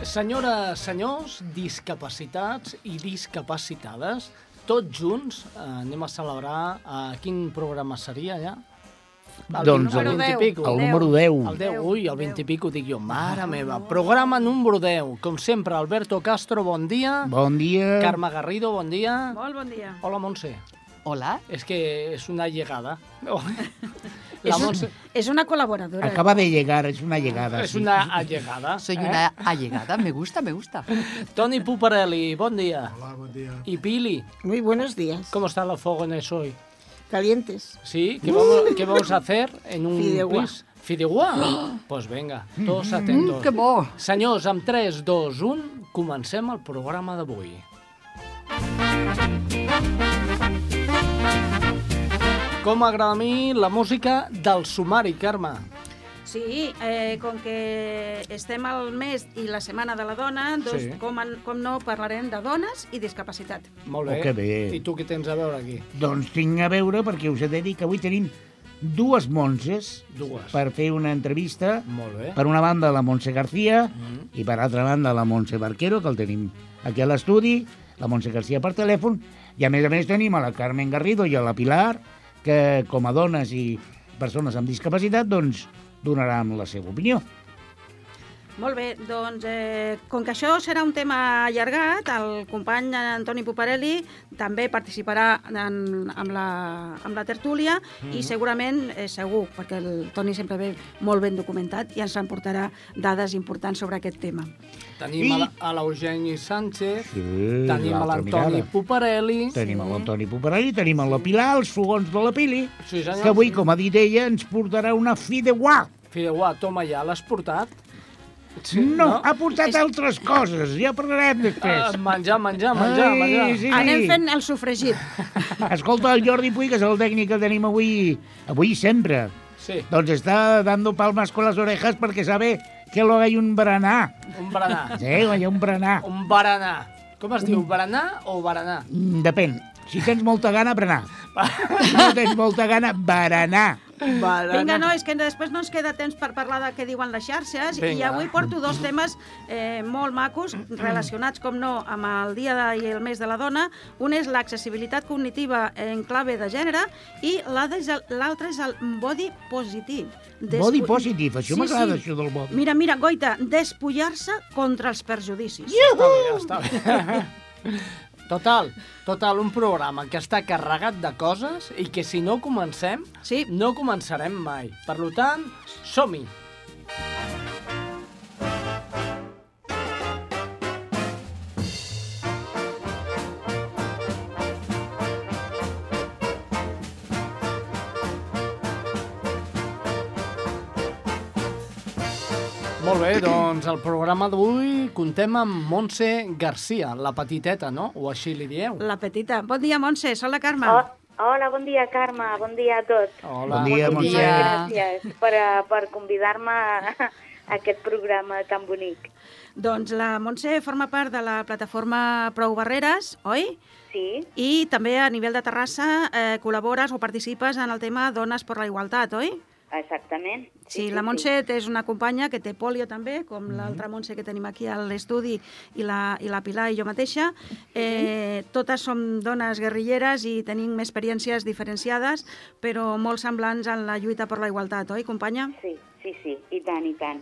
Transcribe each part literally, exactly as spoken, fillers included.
Senyores, senyors, discapacitats i discapacitades, tots junts eh, anem a celebrar... Eh, quin programa seria, ja? El Doncs el, el, vint i pico. el número deu. El deu, ui, el vint i pico, dic jo, mare meva. Programa número deu. Com sempre, Alberto Castro, bon dia. Bon dia. Carme Garrido, bon dia. Molt bon dia. Hola, Montse. Hola. És que és una llegada. La És, un, Montse és una col·laboradora. Acaba de llegar, és una llegada. és sí. una allegada. Soy eh? una allegada, me gusta, me gusta. Toni Puparelli, bon dia. Hola, buen día. Y Pili, Muy buenos días. ¿cómo está la fogones hoy? Calientes. ¿Sí? ¿Qué vamos, ¿qué vamos a hacer en un Fideuà. pis? Fideuà? Pues venga, todos atentos. Mm, que bo. Senyors, amb tres, dos, un, comencem el programa d'avui. Com m'agrada a mi la música del sumari, Carme. Sí, eh, com que estem al mes i la Setmana de la Dona, doncs, Sí. com, en, com no, parlarem de dones i discapacitat. Molt bé. Oh, que bé. I tu què tens a veure aquí? Doncs tinc a veure, perquè us he de dir que avui tenim dues Montses Dues. per fer una entrevista. Molt bé. Per una banda, la Montse García, Mm. i per altra banda, la Montse Barquero, que el tenim aquí a l'estudi, la Montse García per telèfon, i a més a més tenim a la Carmen Garrido i a la Pilar, que com a dones i persones amb discapacitat, doncs, donaran la seva opinió. Molt bé, doncs, eh, com que això serà un tema allargat, el company Antoni Puparelli també participarà en, amb, la, amb la tertúlia mm. i segurament, eh, segur, perquè el Toni sempre ve molt ben documentat i ens emportarà dades importants sobre aquest tema. Tenim I- a la- a l'Eugeni Sánchez, Sí, tenim a l'altra l'Antoni mirada. Puparelli. Tenim l'Antoni Puparelli, tenim la Pilar, els fogons de la Pili, Sí, senyor. que avui, com ha dit ella, ens portarà una fideuà. Fideuà, toma ja, l'has portat? Sí, No, ha portat altres coses, ja parlarem després. Ah, menjar, menjar, menjar, Ai, menjar. sí. Anem fent el sofregit. Escolta, el Jordi Puig, que és el tècnic que tenim avui, avui sempre, Sí, doncs està dando palmas con las orejas perquè sabe que lo hay un berenar. un berenar. Sí, hi ha un berenar. Un berenar. Com es diu, berenar o berenar? Mm, Depèn. Si tens molta gana, berenar. Si no tens molta gana, berenar. Vinga, no, és que després no ens queda temps per parlar de què diuen les xarxes Vinga. i avui porto dos temes eh, molt macos relacionats, com no, amb el dia de, i el mes de la dona. Un és l'accessibilitat cognitiva en clave de gènere i l'altre és el body positive. Despu- Body positive, això Sí, m'agrada, sí. això del body. Mira, mira, Goita, despullar-se contra els perjudicis. Està bé, està bé. Total, total, un programa que està carregat de coses i que si no comencem, Sí. no començarem mai. Per tant, som-hi. Molt bé, doncs el programa d'avui contem amb Montse García, la petiteta, no? O així li dieu. La petita. Bon dia, Montse, soc la Carme. Oh, hola, bon dia, Carme. Bon dia a tots. Hola. Bon dia, Bon Montse. dia. Gràcies per, a- per convidar-me a aquest programa tan bonic. Doncs la Montse forma part de la plataforma Prou Barreres, oi? Sí, I també a nivell de Terrassa eh, col·labores o participes en el tema Dones per la Igualtat, oi? exactament. Sí, la Montse és una companya que té polio també, com l'altra Montse que tenim aquí a l'estudi, i la, i la Pilar i jo mateixa. Eh, totes som dones guerrilleres i tenim experiències diferenciades, però molt semblants en la lluita per la igualtat, oi, companya? Sí, sí, sí, i tant, i tant.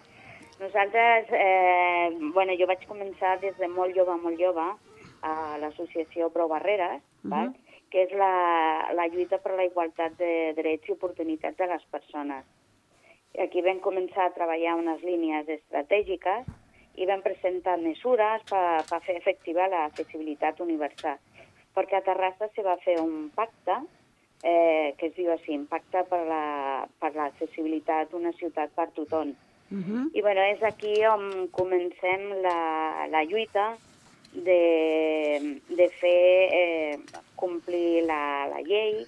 Nosaltres, eh, bueno, jo vaig començar des de molt jove, molt jove, a l'associació Prou Barreres, uh -huh. val? que és la, la lluita per la igualtat de drets i oportunitats de les persones. Aquí vam començar a treballar unes línies estratègiques i vam presentar mesures per, per fer efectiva l'accessibilitat universal. Perquè a Terrassa se va fer un pacte eh, que es diu així, pacte per la, per l'accessibilitat d'una ciutat per tothom. Uh -huh. I bueno, és aquí on comencem la, la lluita de, de fer eh, complir la, la llei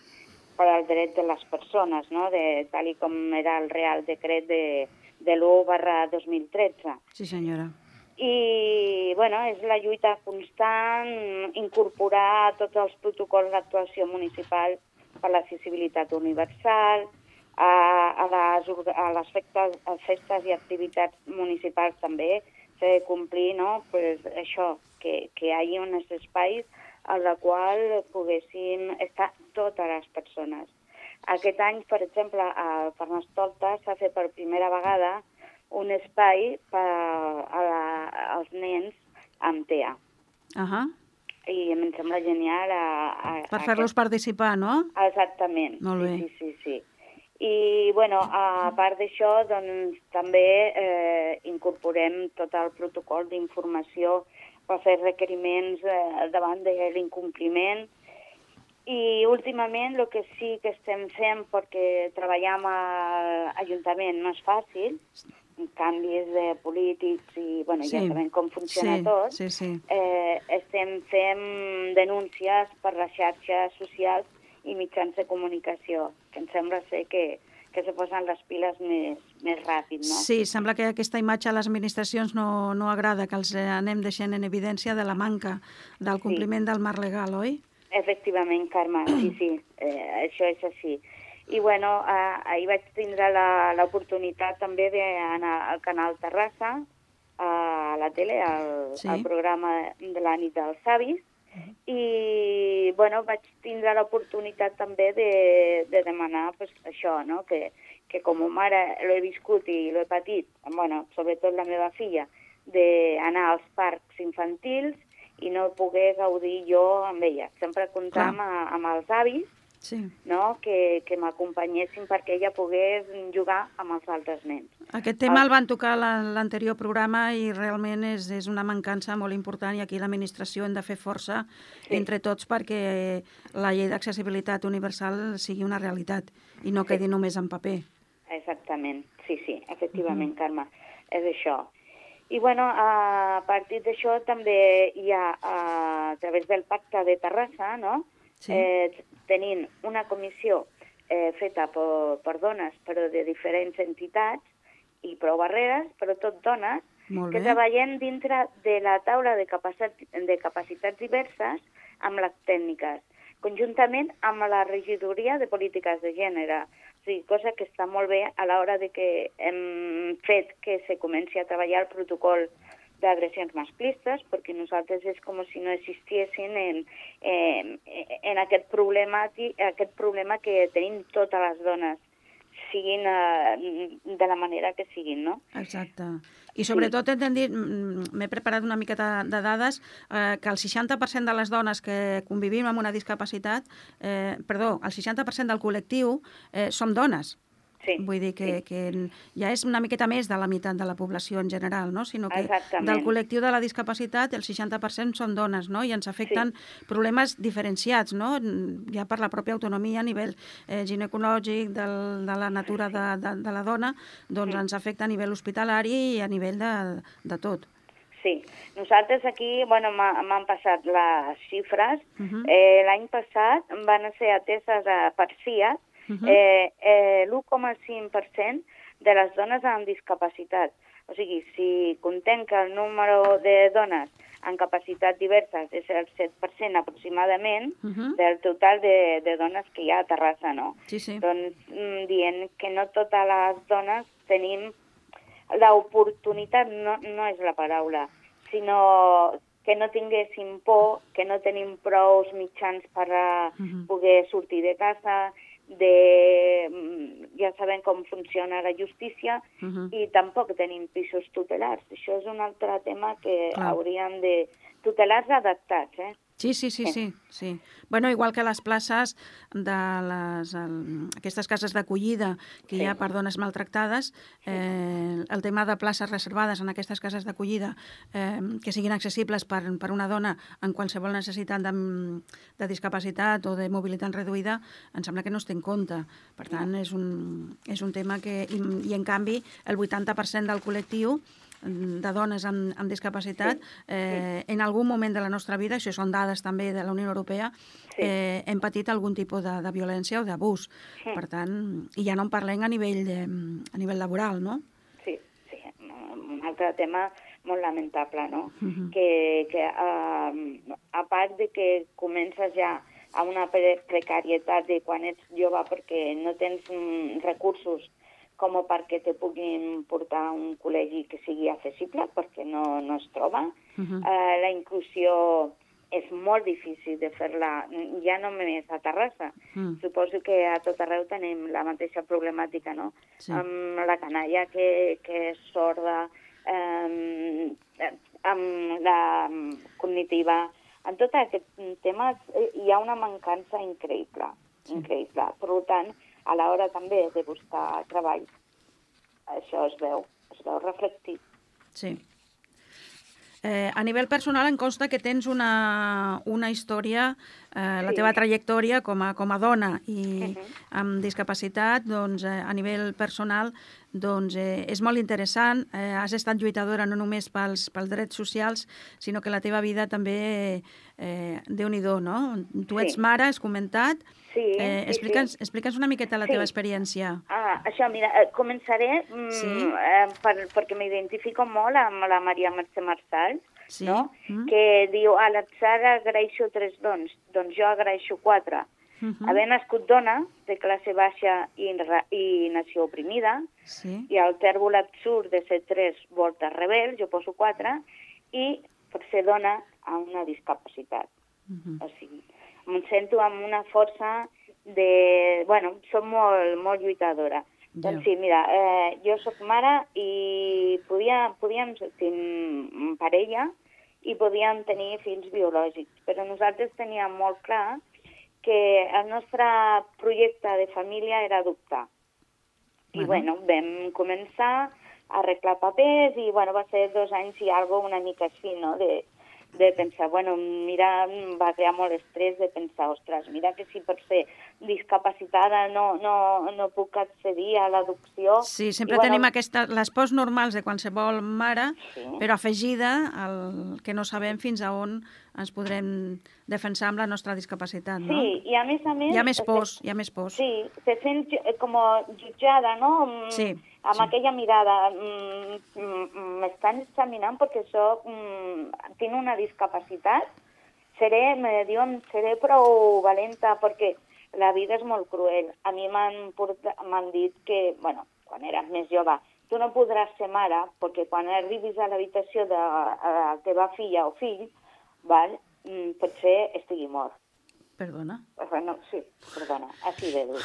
per al dret de les persones, no? de, tal i com era el Real Decret de, de l'u barra dos mil tretze. Sí, senyora. I bueno, és la lluita constant, incorporar tots els protocols d'actuació municipal per l'accessibilitat universal, a, a, les, a les festes, a festes i activitats municipals també s'ha de complir, no? Pues això, que, que hi hagi uns espais en la qual poguessin estar totes les persones. Aquest any, per exemple, a Carnestoltes s'ha fet per primera vegada un espai per a la, als nens amb T A. Ahà. I em sembla genial. A, a, Per fer-los participar, no? Exactament. Molt bé. Sí, sí, sí, sí. I, bueno, a part d'això, doncs, també eh, incorporem tot el protocol d'informació per fer requeriments eh, davant de l'incompliment. I últimament el que sí que estem fent, perquè treballar amb l'Ajuntament no és fàcil, canvis de polítics i, bueno, Sí. ja sabem com funciona Sí, tot, sí, sí. Eh, estem fent denúncies per les xarxes socials i mitjans de comunicació, que em sembla ser que, que se posen les piles més, més ràpid, no? Sí, sembla que aquesta imatge a les administracions no, no agrada, que els anem deixant en evidència de la manca del compliment del marc legal, oi? Efectivament, Carme, sí, sí, eh, això és així. I, bueno, eh, ahir vaig tindre la- l'oportunitat també d'anar al Canal Terrassa, a la tele, al, Sí. al programa de la nit dels savis, i, bueno, vaig tindre l'oportunitat també de, de demanar pues, això, no?, que, que com a mare l'he viscut i l'he patit, bueno, sobretot la meva filla, d'anar als parcs infantils i no poder gaudir jo amb ella. Sempre comptar amb, amb els avis, Sí. no?, que, que m'acompanyessin perquè ella pogués jugar amb els altres nens. Aquest tema el van tocar a la- l'anterior programa i realment és, és una mancança molt important i aquí l'administració hem de fer força Sí. entre tots perquè la llei d'accessibilitat universal sigui una realitat i no quedi només en paper. Exactament, sí, sí, efectivament, uh-huh. Carme, és això. I, bueno, a partir d'això també hi ha, a través del Pacte de Terrassa, no?, Sí. eh, tenint una comissió eh, feta per, per dones, però de diferents entitats i prou barreres, però tot dones, Molt que bé. treballem dintre de la taula de, capacitat, de capacitats diverses amb les tècniques, conjuntament amb la regidoria de polítiques de gènere. O sigui, cosa que està molt bé a l'hora de que hem fet que se comenci a treballar el protocol d'agressions masclistes, perquè nosaltres és com si no existissin en, en, en aquest, problema, aquest problema que tenim totes les dones, siguin uh, de la manera que siguin, no? Exacte. I sobretot hem de dir, mm, m'he preparat una miqueta de dades, eh, que el seixanta per cent de les dones que convivim amb una discapacitat, eh, perdó, el seixanta per cent del col·lectiu eh, som dones. Sí, Vull dir que, sí. que ja és una miqueta més de la meitat de la població en general, no? Sinó que Exactament. del col·lectiu de la discapacitat el seixanta per cent són dones, no? I ens afecten problemes diferenciats, no? Ja per la pròpia autonomia a nivell eh, ginecològic, del, de la natura de, de, de la dona, doncs ens afecta a nivell hospitalari i a nivell de, de tot. Sí, nosaltres aquí, bueno, m'ha- m'han passat les xifres. Mhm. eh, L'any passat van ser ateses a, per C I A Mhm. eh, eh, l'u coma cinc per cent de les dones amb discapacitat. O sigui, si contem que el número de dones amb capacitats diverses és el set per cent aproximadament Mhm. del total de, de dones que hi ha a Terrassa, no? Sí, sí. Doncs mm, dient que no totes les dones tenim l'oportunitat, no, no és la paraula, sinó que no tinguéssim por, que no tenim prou mitjans per a Mhm. poder sortir de casa, de, mm, ja sabem com funciona la justícia, Mhm. i tampoc tenim pisos tutelars. Això és un altre tema que Clar. hauríem de... Tutelars adaptats, eh? Sí, sí, sí, sí, sí. Bueno, igual que les places de les, el, aquestes cases d'acollida que hi ha per dones maltractades, eh, el tema de places reservades en aquestes cases d'acollida eh, que siguin accessibles per, per una dona en qualsevol necessitat de, de discapacitat o de mobilitat reduïda, em sembla que no es té en compte. Per tant, és un, és un tema que... I, i en canvi, el vuitanta per cent del col·lectiu de dones amb, amb discapacitat, eh, en algun moment de la nostra vida, això són dades també de la Unió Europea, Sí. eh, hem patit algun tipus de, de violència o d'abús. Sí. Per tant, i ja no en parlem a nivell, de, a nivell laboral, no? Sí, sí, un altre tema molt lamentable, no? Mhm. Que, que uh, a part de que comences ja a una pre precarietat de quan ets jove perquè no tens mm, recursos com perquè te puguin portar a un col·legi que sigui accessible, perquè no, no es troba. Uh -huh. eh, la inclusió és molt difícil de fer-la, ja no només a Terrassa. Mm. Suposo que a tot arreu tenim la mateixa problemàtica, no? Sí. Amb la canalla que, que és sorda, eh, amb la cognitiva. En tot aquest tema hi ha una mancança increïble, sí. increïble. Per tant, a l'hora també de buscar treball, això es veu, es veu reflectit. Sí. Eh, a nivell personal em consta que tens una, una història, eh, la sí. teva trajectòria com a, com a dona i uh -huh. amb discapacitat, doncs, eh, a nivell personal, doncs, eh, és molt interessant. Eh, has estat lluitadora no només pels, pels drets socials, sinó que la teva vida també, eh, Déu-n'hi-do, no? Tu ets sí. mare, has comentat. Sí, eh, sí, explica'ns, sí. explica'ns una miqueta la sí. teva experiència. Ah, això, mira, eh, començaré mm, sí. eh, per, perquè m'identifico molt amb la Maria Mercè Marçal, sí. no? Mm. que diu, a l'atzar agraeixo tres dons, doncs jo agraeixo quatre. Uh -huh. Haver nascut dona, de classe baixa i, i nació oprimida, sí. i el tèrbol absurd de ser tres voltes rebel, jo poso quatre, i per ser dona amb una discapacitat. Uh -huh. O sigui, em sento amb una força de... Bueno, soc molt, molt lluitadora. Ja. Doncs sí, mira, eh, jo sóc mare i podia, podíem tenir parella i podíem tenir fills biològics, però nosaltres teníem molt clar que el nostre projecte de família era adoptar. I, bueno, bueno vam començar a arreglar papers i, bueno, va ser dos anys i alguna una mica així, no?, de, de pensar, bueno, mira, va crear molt estrès de pensar, ostres, mira que si per ser discapacitada no, no, no puc accedir a l'adopció. Sí, sempre I, bueno, tenim aquesta, les pors normals de qualsevol mare, sí. però afegida al que no sabem fins a on ens podrem defensar amb la nostra discapacitat, no? Sí, i a més a més... Hi ha més pors, hi ha més pors. Sí, se sent com jutjada, no? Sí. Amb sí. aquella mirada, m'estan examinant perquè soc, tinc una discapacitat, seré, me diuen, seré prou valenta perquè la vida és molt cruel. A mi m'han dit que, bueno, quan eres més jove, tu no podràs ser mare perquè quan arribis a l'habitació de la teva filla o fill, val, potser estigui mort. Perdona? Bueno, sí, perdona, així de dur.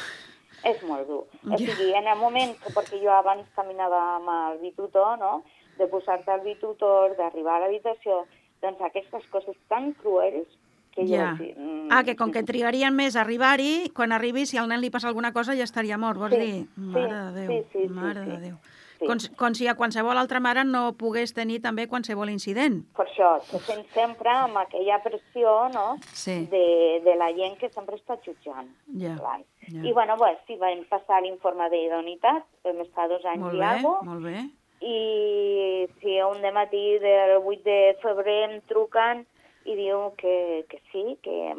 És molt dur. O sigui, en el moment, perquè jo abans caminava amb el bitutor, no?, de posar-te al bitutor, d'arribar a l'habitació, doncs aquestes coses tan cruels que jo... Ja. Mm, ah, que com que trigarien més a arribar-hi, quan arribi, si al nen li passa alguna cosa, ja estaria mort, vols sí, dir? Mare sí, de Déu, sí, sí, mare sí, de Déu. Sí. Com, com si a qualsevol altra mare no pogués tenir també qualsevol incident. Per això, se sent sempre amb aquella pressió, no?, sí. de, de la gent que sempre està jutjant. Ja. ja. I, bueno, bueno, sí, vam passar l'informe d'idoneïtat, vam estar dos anys molt i alguna cosa. Molt bé, i sí, un dematí del vuit de febrer em truquen i diu que, que sí, que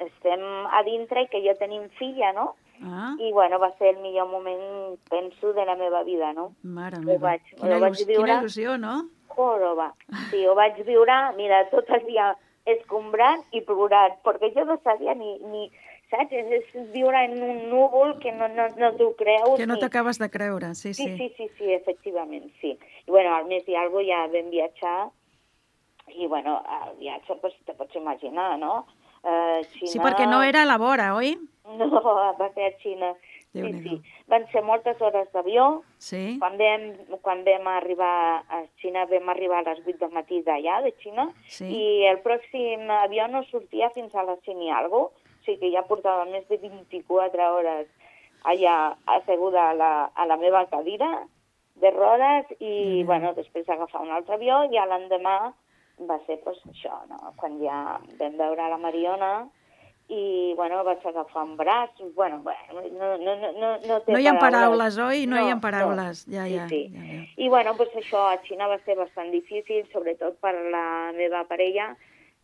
estem a dintre i que jo tenim filla, no? Ah. I, bueno, va ser el millor moment, penso, de la meva vida, no? Mare meva, vaig, quina, vaig il·lusió, viure... quina il·lusió, no? Joroba. Sí, ho vaig viure, mira, tot el dia escombrant i plorant, perquè jo no sabia ni... ni saps? És, és viure en un núvol que no, no, no t'ho creus. Que no ni... t'acabes de creure, sí, sí. Sí, sí, sí, sí, efectivament, sí. I, bueno, al mes i alguna ja vam viatjar i, bueno, el viatge, pues, te pots imaginar, no? Uh, Xina... Sí, perquè no era a la vora, oi? No, va ser a Xina. Sí, sí. Van ser moltes hores d'avió. Sí. Quan vam, quan vam arribar a Xina, vam arribar a les vuit del matí d'allà, de Xina, sí. i el pròxim avió no sortia fins a les cinc i alguna cosa. O sigui que ja portava més de vint-i-quatre hores allà asseguda a la, a la meva cadira de rodes i, mm. bueno, després agafar un altre avió i a l'endemà va ser, pues, això, no?, quan ja vam veure la Mariona i, bueno, vaig agafar un braç, bueno, bueno no, no, no, no, no té No hi ha paraules, paraules oi? No, no hi ha paraules, no. ja, ja. Sí, sí. ja, ja. I, bueno, pues això a Xina va ser bastant difícil, sobretot per la meva parella,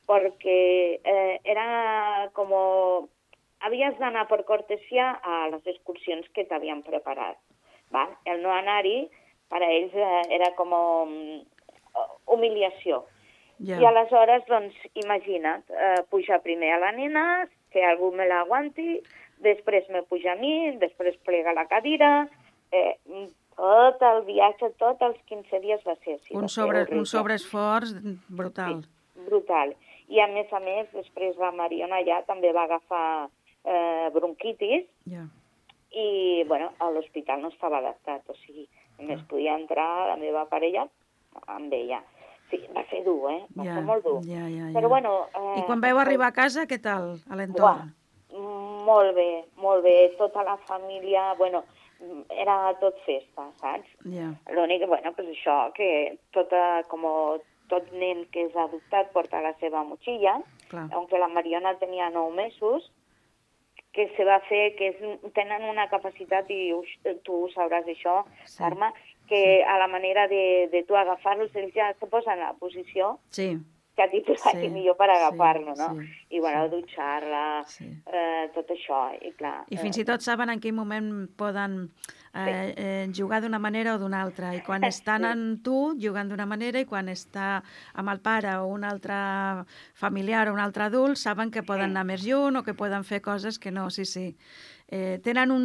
perquè eh, era com... Havies d'anar per cortesia a les excursions que t'havien preparat. Va? El no anar-hi, per a ells, eh, era com humiliació. Yeah. I aleshores, doncs, imagina't, eh, pujar primer a la nena, que algú me l'aguanti, després me puja a mi, després plega la cadira, eh, tot el viatge, tots els quinze dies va ser així. Un, sobre, un sobreesforç brutal. Sí, brutal. I a més a més, després la Mariona ja també va agafar eh, bronquitis Ja. i, bueno, a l'hospital no estava adaptat, o sigui, només podia entrar la meva parella amb ella. Sí, va ser dur, eh? Va Ja, ser molt dur. ja, ja, ja. Però, bueno... Eh, I quan veu arribar a casa, què tal, a l'entorn? Molt bé, molt bé. Tota la família, bueno, era tot festa, saps? Ja. L'únic, bueno, pues això, que tota, com tot nen que és adoptat porta la seva motxilla, Clar. aunque la Mariona tenia nou mesos, que se va fer, que és, tenen una capacitat, i us, tu ho sabràs això, Sí. Carme, que a la manera de, de tu agafar-los, ells ja se posen a la posició Sí, que a ti te vagi Sí, millor per agafar-lo, sí, no? sí, I, bueno, sí. dutxar-la, Sí. eh, tot això, i clar... i fins i tot saben en quin moment poden eh, eh, jugar d'una manera o d'una altra. I quan estan Sí. amb tu, jugant d'una manera, i quan està amb el pare o un altre familiar o un altre adult, saben que poden anar més lluny o que poden fer coses que no, sí, sí. Eh, tenen un,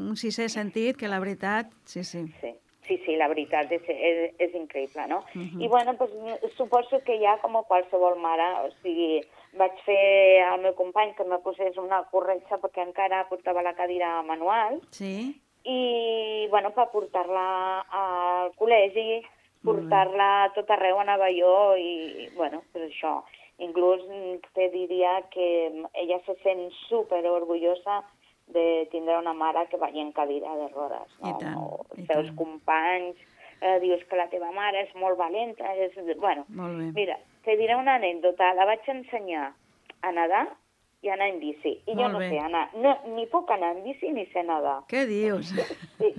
un sisè sentit que la veritat, sí, sí. Sí. Sí, sí, la veritat és, és, és increïble, no? Uh -huh. I, bueno, pues, suposo que ja, com qualsevol mare, o sigui, vaig fer al meu company que me posés una corretja perquè encara portava la cadira manual Sí? i, bueno, per portar-la al col·legi, portar-la a tot arreu, anava jo i, bueno, pues això. Inclús te diria que ella se sent super orgullosa de tindre una mare que vagi en cadira de rodes. No? I tant, i Els seus tant. companys, eh, dius que la teva mare és molt valenta, és... Bueno, Molt bé. mira, te diré una anècdota. La vaig ensenyar a nedar i a anar en bici. I jo Molt no bé. sé anar, no, ni puc anar en bici ni sé nedar. Què dius? Sí.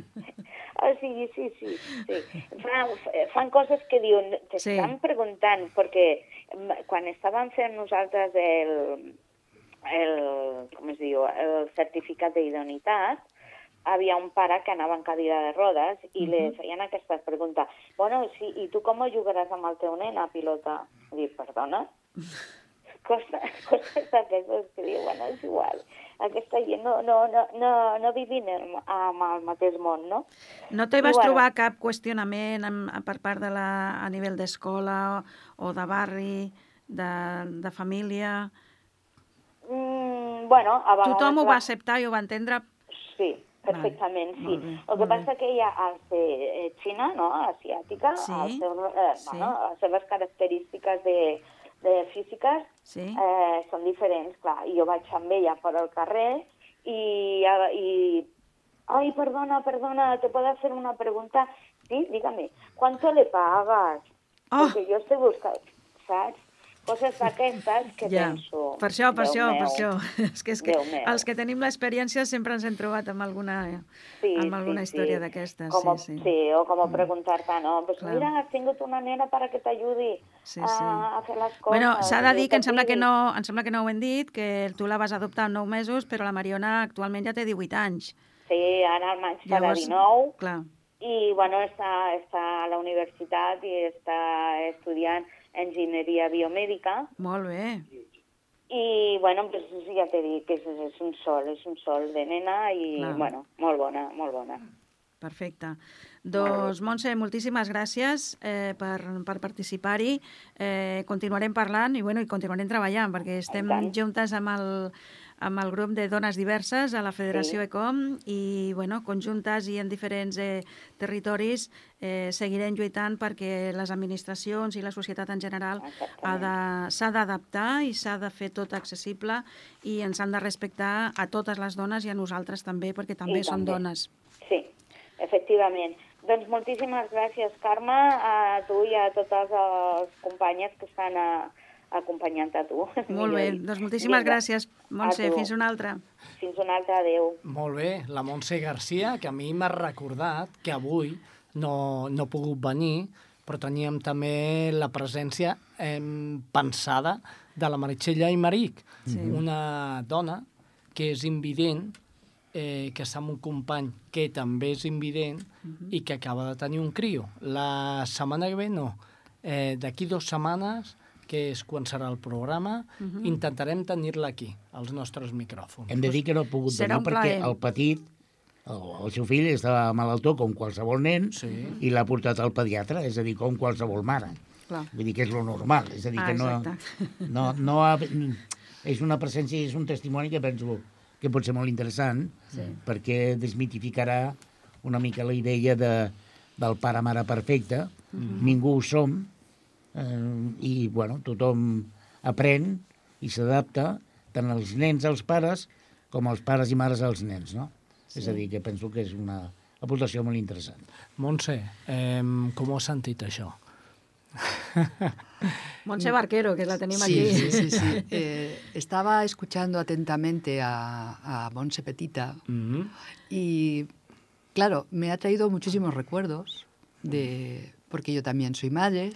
O sigui, sí, sí, sí. Fan, fan coses que diuen, t'estan Sí. preguntant, perquè mm, quan estàvem fent nosaltres el, el, com es diu, el certificat d'idoneïtat, havia un pare que anava en cadira de rodes i uh -huh. li feien aquesta pregunta. Bueno, sí, i tu com jugaràs amb el teu nen a pilota? I dic, perdona? Coses, coses d'aquestes que diu, bueno, és igual. Aquesta gent no, no, no, no, no vivim en el mateix món, no? No te I, vas bueno, trobar cap qüestionament amb, per part de la, a nivell d'escola o de barri, de, de família? Mm, bueno, a vegades... Tothom ho la- va acceptar i ho va entendre? Sí, perfectament, Vale, sí. molt bé, El que molt bé. passa que ella, al ser eh, xina, no?, asiàtica, Sí, el seu, eh, sí. bueno, les seves característiques de, de físiques Sí. eh, són diferents, clar. I jo vaig amb ella per al carrer i, i... Ay, perdona, perdona, ¿te puedo hacer una pregunta? Sí, dígame, ¿cuánto le pagas? Oh. Porque yo estoy buscando, ¿sabes? Coses d'aquestes que Ja, penso... per això, per Déu això, meu, per això. És que, és que Déu meu. els que tenim l'experiència sempre ens hem trobat amb alguna, Sí, amb alguna sí, història sí. d'aquestes. Com, Sí, sí. sí, o com preguntar-te, no? Pues Clar. mira, has tingut una nena para que t'ajudi Sí, a, sí. a fer les coses. Bueno, s'ha de jo dir que em sembla que, t'ajudi. no, em sembla que no ho hem dit, que tu la vas adoptar amb nou mesos, però la Mariona actualment ja té divuit anys. Sí, ara al maig farà Llavors, dinou clar, i, bueno, està, està a la universitat i està estudiant enginyeria biomèdica molt bé. i, bueno, pues, ja t'he dit que és, és un sol, és un sol de nena i, Clar. bueno, molt bona, molt bona. Perfecte. Doncs, Montse, moltíssimes gràcies eh, per, per participar-hi. Eh, continuarem parlant i, bueno, i continuarem treballant, perquè estem tant. juntes amb el, amb el grup de dones diverses a la Federació Sí. ECOM i, bueno, conjuntes i en diferents eh, territoris eh, seguirem lluitant perquè les administracions i la societat en general ha de- s'ha d'adaptar i s'ha de fer tot accessible i ens han de respectar a totes les dones i a nosaltres també, perquè també I som també. dones. Sí, efectivament. Doncs moltíssimes gràcies, Carme, a tu i a totes les companyes que estan a, acompanyant a tu. Molt bé, doncs moltíssimes Vinga, gràcies, Montse, a tu. fins una altra. Fins una altra, adéu. Molt bé, la Montse Garcia, que a mi m'ha recordat que avui no, no ha pogut venir, però teníem també la presència eh, pensada de la Meritxell Aymeric, Sí. una dona que és invident, eh, que està amb un company que també és invident i que acaba de tenir un crio. La setmana que ve no, eh, d'aquí dues setmanes, que és quan serà el programa, intentarem tenir-la aquí, als nostres micròfons. Hem de dir que no ha pogut Serà venir un perquè plaer. el petit el, el seu fill estava malaltó com qualsevol nen Sí. i l'ha portat al pediatre, és a dir, com qualsevol mare. Clar. Vull dir que és lo normal, és a dir, Ah, que no... exacte. no, no ha, és una presència, és un testimoni que penso que pot ser molt interessant, sí. perquè desmitificarà una mica la idea de, del pare-mare perfecte. Mm-hmm. Ningú ho som, eh, i bueno, tothom aprèn i s'adapta, tant els nens als pares com els pares i mares als nens, no? Sí. És a dir, que penso que és una aportació molt interessant. Montse, eh, com ho has sentit, això? Montse Barquero, que la tenim Sí, aquí. sí, sí, sí. Eh, estaba escuchando atentamente a, a Montse Petita Mm-hmm. y, claro, me ha traído muchísimos recuerdos, de, porque yo también soy madre,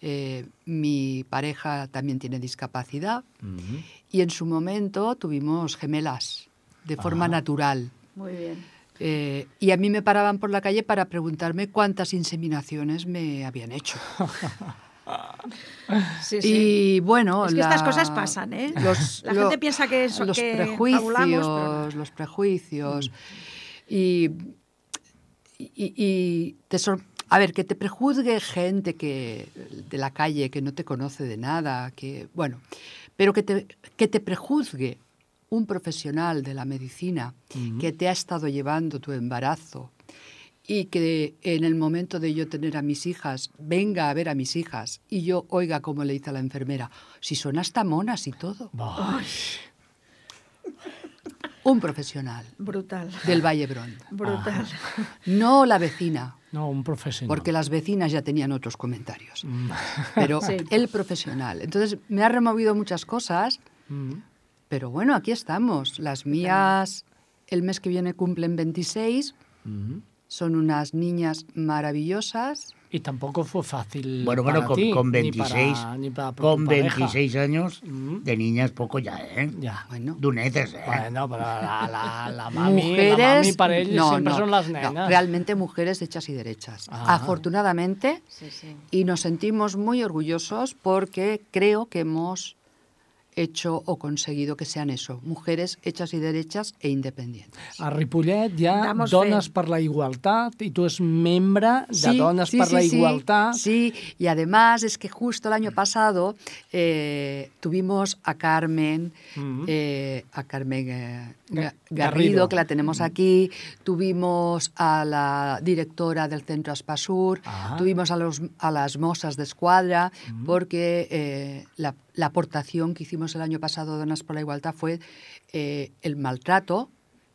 eh, mi pareja también tiene discapacidad Mm-hmm. y en su momento tuvimos gemelas de forma Ajá. natural. Muy bien. Eh, y a mí me paraban por la calle para preguntarme cuántas inseminaciones me habían hecho. Sí, sí. Y bueno, Es que estas cosas pasan, ¿eh? Los, La gente piensa que eso- los que prejuicios, fabulamos, pero no. los prejuicios y, y, y te sor- a ver, que te prejuzgue gente que de la calle que no te conoce de nada, que bueno, pero que te que te prejuzgue un profesional de la medicina que te ha estado llevando tu embarazo y que en el momento de yo tener a mis hijas, venga a ver a mis hijas y yo oiga como le dice a la enfermera, si son hasta monas y todo. Vai. Un profesional Brutal. del Vallebrón. Brutal. No la vecina, No, un professional. porque las vecinas ya tenían otros comentarios, Mm. pero Sí. el profesional. Entonces me ha removido muchas cosas, Mm. pero bueno, aquí estamos. Las mías el mes que viene cumplen veintiséis, Mm. son unas niñas maravillosas. Y tampoco fue fácil Bueno, para bueno, con, ti, con ni veintiséis, para- ni para tu con pareja. veintiséis años, Mm. de niñas poco ya, ¿eh? Ya. Bueno, Donetes, ¿eh? Bueno, pero la, la, la mami, mujeres, la mami para ellos no, siempre no, son las no, nenas. realmente mujeres hechas y derechas. Ah. Afortunadamente, Sí, sí. y nos sentimos muy orgullosos porque creo que hemos hecho o conseguido que sean eso, mujeres hechas y derechas e independientes. A Ripollet hi ha Damos Dones fe. per la Igualtat i tu és membre de Sí, Dones sí, per sí, la sí, Igualtat. Sí, y además es que justo el año pasado eh, tuvimos a Carmen, Mm. eh, a Carmen eh, Ga- Garrido. Garrido, que la tenemos aquí, tuvimos a la directora del Centro Aspasur, Ah. tuvimos a, los, a las mozas de escuadra, porque eh, la, la aportación que hicimos el año pasado Donas por la Igualdad fue eh, el maltrato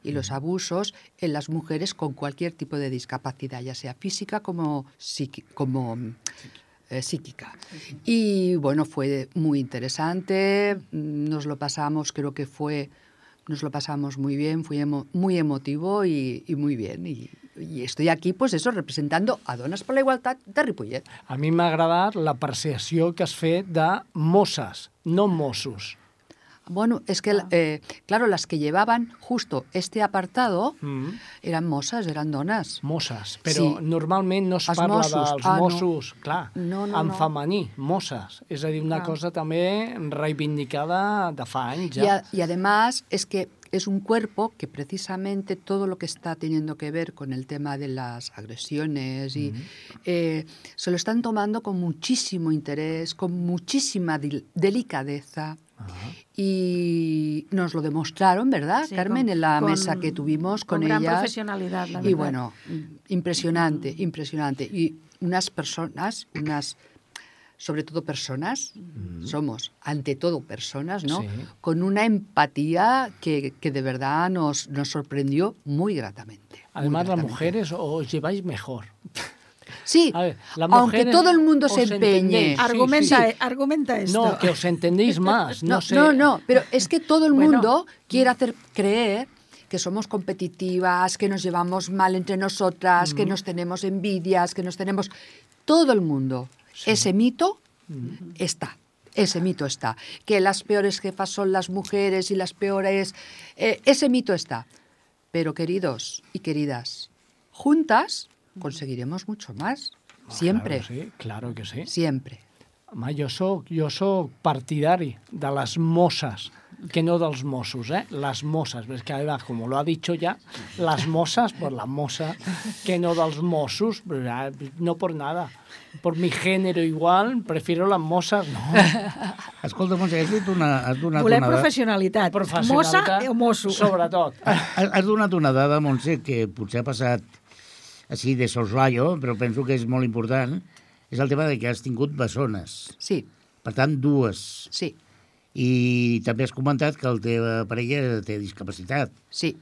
y los abusos en las mujeres con cualquier tipo de discapacidad, ya sea física como, psiqui- como eh, psíquica. Y bueno, fue muy interesante, mm, nos lo pasamos, creo que fue, nos lo pasamos muy bien, fue emo- muy emotivo y, y muy bien. Y, y estoy aquí, pues eso, representando a Dones per la Igualtat de Ripollet. A mi m'ha agradat l'apreciació que has fet de mosses, no Mossos. Bueno, es que, eh, claro, las que llevaban justo este apartado Mm. eran mozas, eran donas. Mosses, però Sí. normalment no es Els parla Mossos. dels Ah, no. Mossos, clar, No, no, en no. femení, mosses. És a dir, una Clar. cosa també reivindicada de fa anys Y, ja. a- y además es que es un cuerpo que precisamente todo lo que está teniendo que ver con el tema de las agresiones y eh, se lo están tomando con muchísimo interés, con muchísima dil- delicadeza. Y nos lo demostraron, ¿verdad, Sí, Carmen? con- en la con- mesa que tuvimos con, con gran ellas. profesionalidad, la Y verdad. bueno, impresionante, impresionante. Y unas personas, unas, sobre todo personas, somos ante todo personas, ¿no? Sí. Con una empatía que, que de verdad nos, nos sorprendió muy gratamente. muy Además, las gratamente. mujeres os lleváis mejor. Sí, A ver, las aunque mujeres todo el mundo os se empeñe. entendéis. Sí, Argumenta, sí, sí. eh, argumenta esto. No, que os entendéis más. No, No, sé. no, no, pero es que todo el Bueno. mundo quiere hacer creer que somos competitivas, que nos llevamos mal entre nosotras, que nos tenemos envidias, que nos tenemos... Todo el mundo. Ese mito está. Ese mito está. Que las peores jefas son las mujeres y las peores... eh, ese mito está. Pero queridos y queridas, juntas conseguiremos mucho más. Siempre, Claro que sí, claro que sí. siempre. Home, jo soc, jo soc partidari de les mosses que no dels Mossos, ¿eh? Las mosas, es que además, como lo ha dicho ya, las mosas, pues la mosa, que no dels Mossos, no por nada. Por mi género igual, prefiero las mosas, no. Escolta, Montse, has dit una... Has donat Volem una dada... professionalitat. Professionalitat, Mossa o mosso. Sobretot. Has, has donat una dada, Montse, que potser ha passat així de soslaio, però penso que és molt important. És el tema de que has tingut bessones. Sí, Per tant, dues. sí, I també has comentat que la teva parella té discapacitat. sí,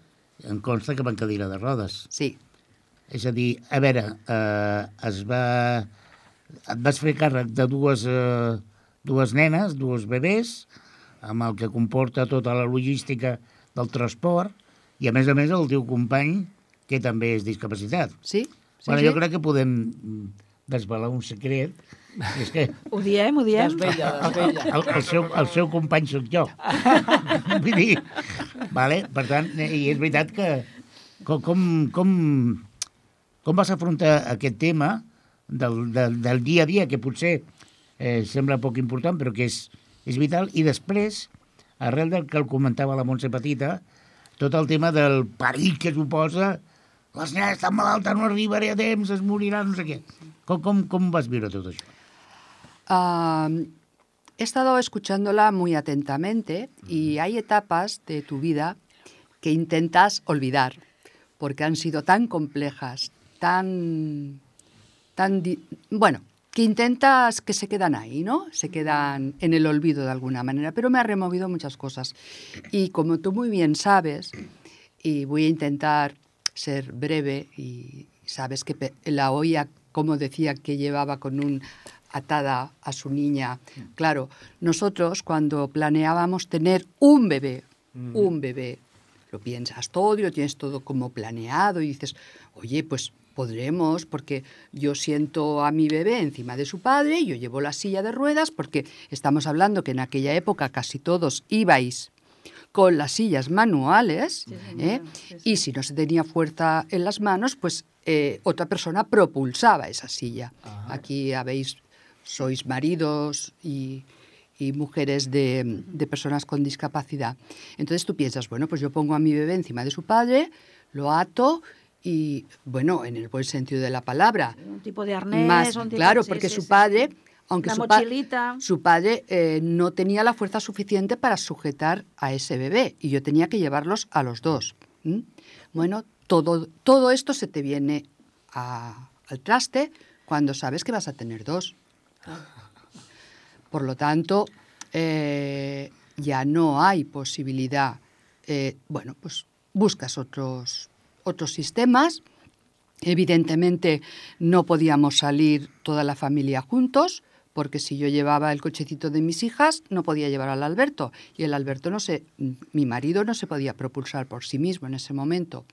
Em consta que va en cadira de rodes. sí. És a dir, a veure, eh, es va... et vas fer càrrec de dues, eh, dues nenes, dues bebès, amb el que comporta tota la logística del transport, i a més a més el teu company, que també és discapacitat. Sí, sí, bueno, sí. jo crec que podem desvelar un secret, és que Ho diem, ho diem. Desvella, desvella. el, el, seu, el seu company sóc jo. Vull dir, vale? Per tant, i és veritat que com, com, com, com vas afrontar aquest tema del, del, del dia a dia, que potser eh, sembla poc important, però que és, és vital, i després, arrel del que el comentava la Montse Petita, tot el tema del perill que suposa les nenes estan malaltes, no arribaré a temps, es moriran, no sé què. Com, com, com vas viure tot això? Ah, he estado escuchándola muy atentamente y hay etapas de tu vida que intentas olvidar porque han sido tan complejas, tan, tan, di- bueno, que intentas que se quedan ahí, ¿no? Se quedan en el olvido de alguna manera, pero me ha removido muchas cosas. Y como tú muy bien sabes, y voy a intentar ser breve, y sabes que pe- la olla, como decía, que llevaba con un atada a su niña. Claro, nosotros cuando planeábamos tener un bebé, un bebé, lo piensas todo y lo tienes todo como planeado y dices, oye, pues podremos, porque yo siento a mi bebé encima de su padre y yo llevo la silla de ruedas, porque estamos hablando que en aquella época casi todos ibais con las sillas manuales, ¿eh? Y si no se tenía fuerza en las manos, pues eh, otra persona propulsaba esa silla. Aquí habéis, sois maridos y, y mujeres de, de personas con discapacidad. Entonces tú piensas, bueno, pues yo pongo a mi bebé encima de su padre, lo ato y, bueno, en el buen sentido de la palabra. Un tipo de arnés. Más, un tipo- claro, sí, porque sí, su sí, padre, sí. aunque Una su, pa- mochilita. su padre eh, no tenía la fuerza suficiente para sujetar a ese bebé y yo tenía que llevarlos a los dos. ¿m? Bueno, todo, todo esto se te viene a- al traste cuando sabes que vas a tener dos. Por lo tanto, eh, ya no hay posibilidad. Eh, bueno, pues buscas otros, otros sistemas. Evidentemente no podíamos salir toda la familia juntos, porque si yo llevaba el cochecito de mis hijas, no podía llevar al Alberto. Y el Alberto no se, mi marido no se podía propulsar por sí mismo en ese momento.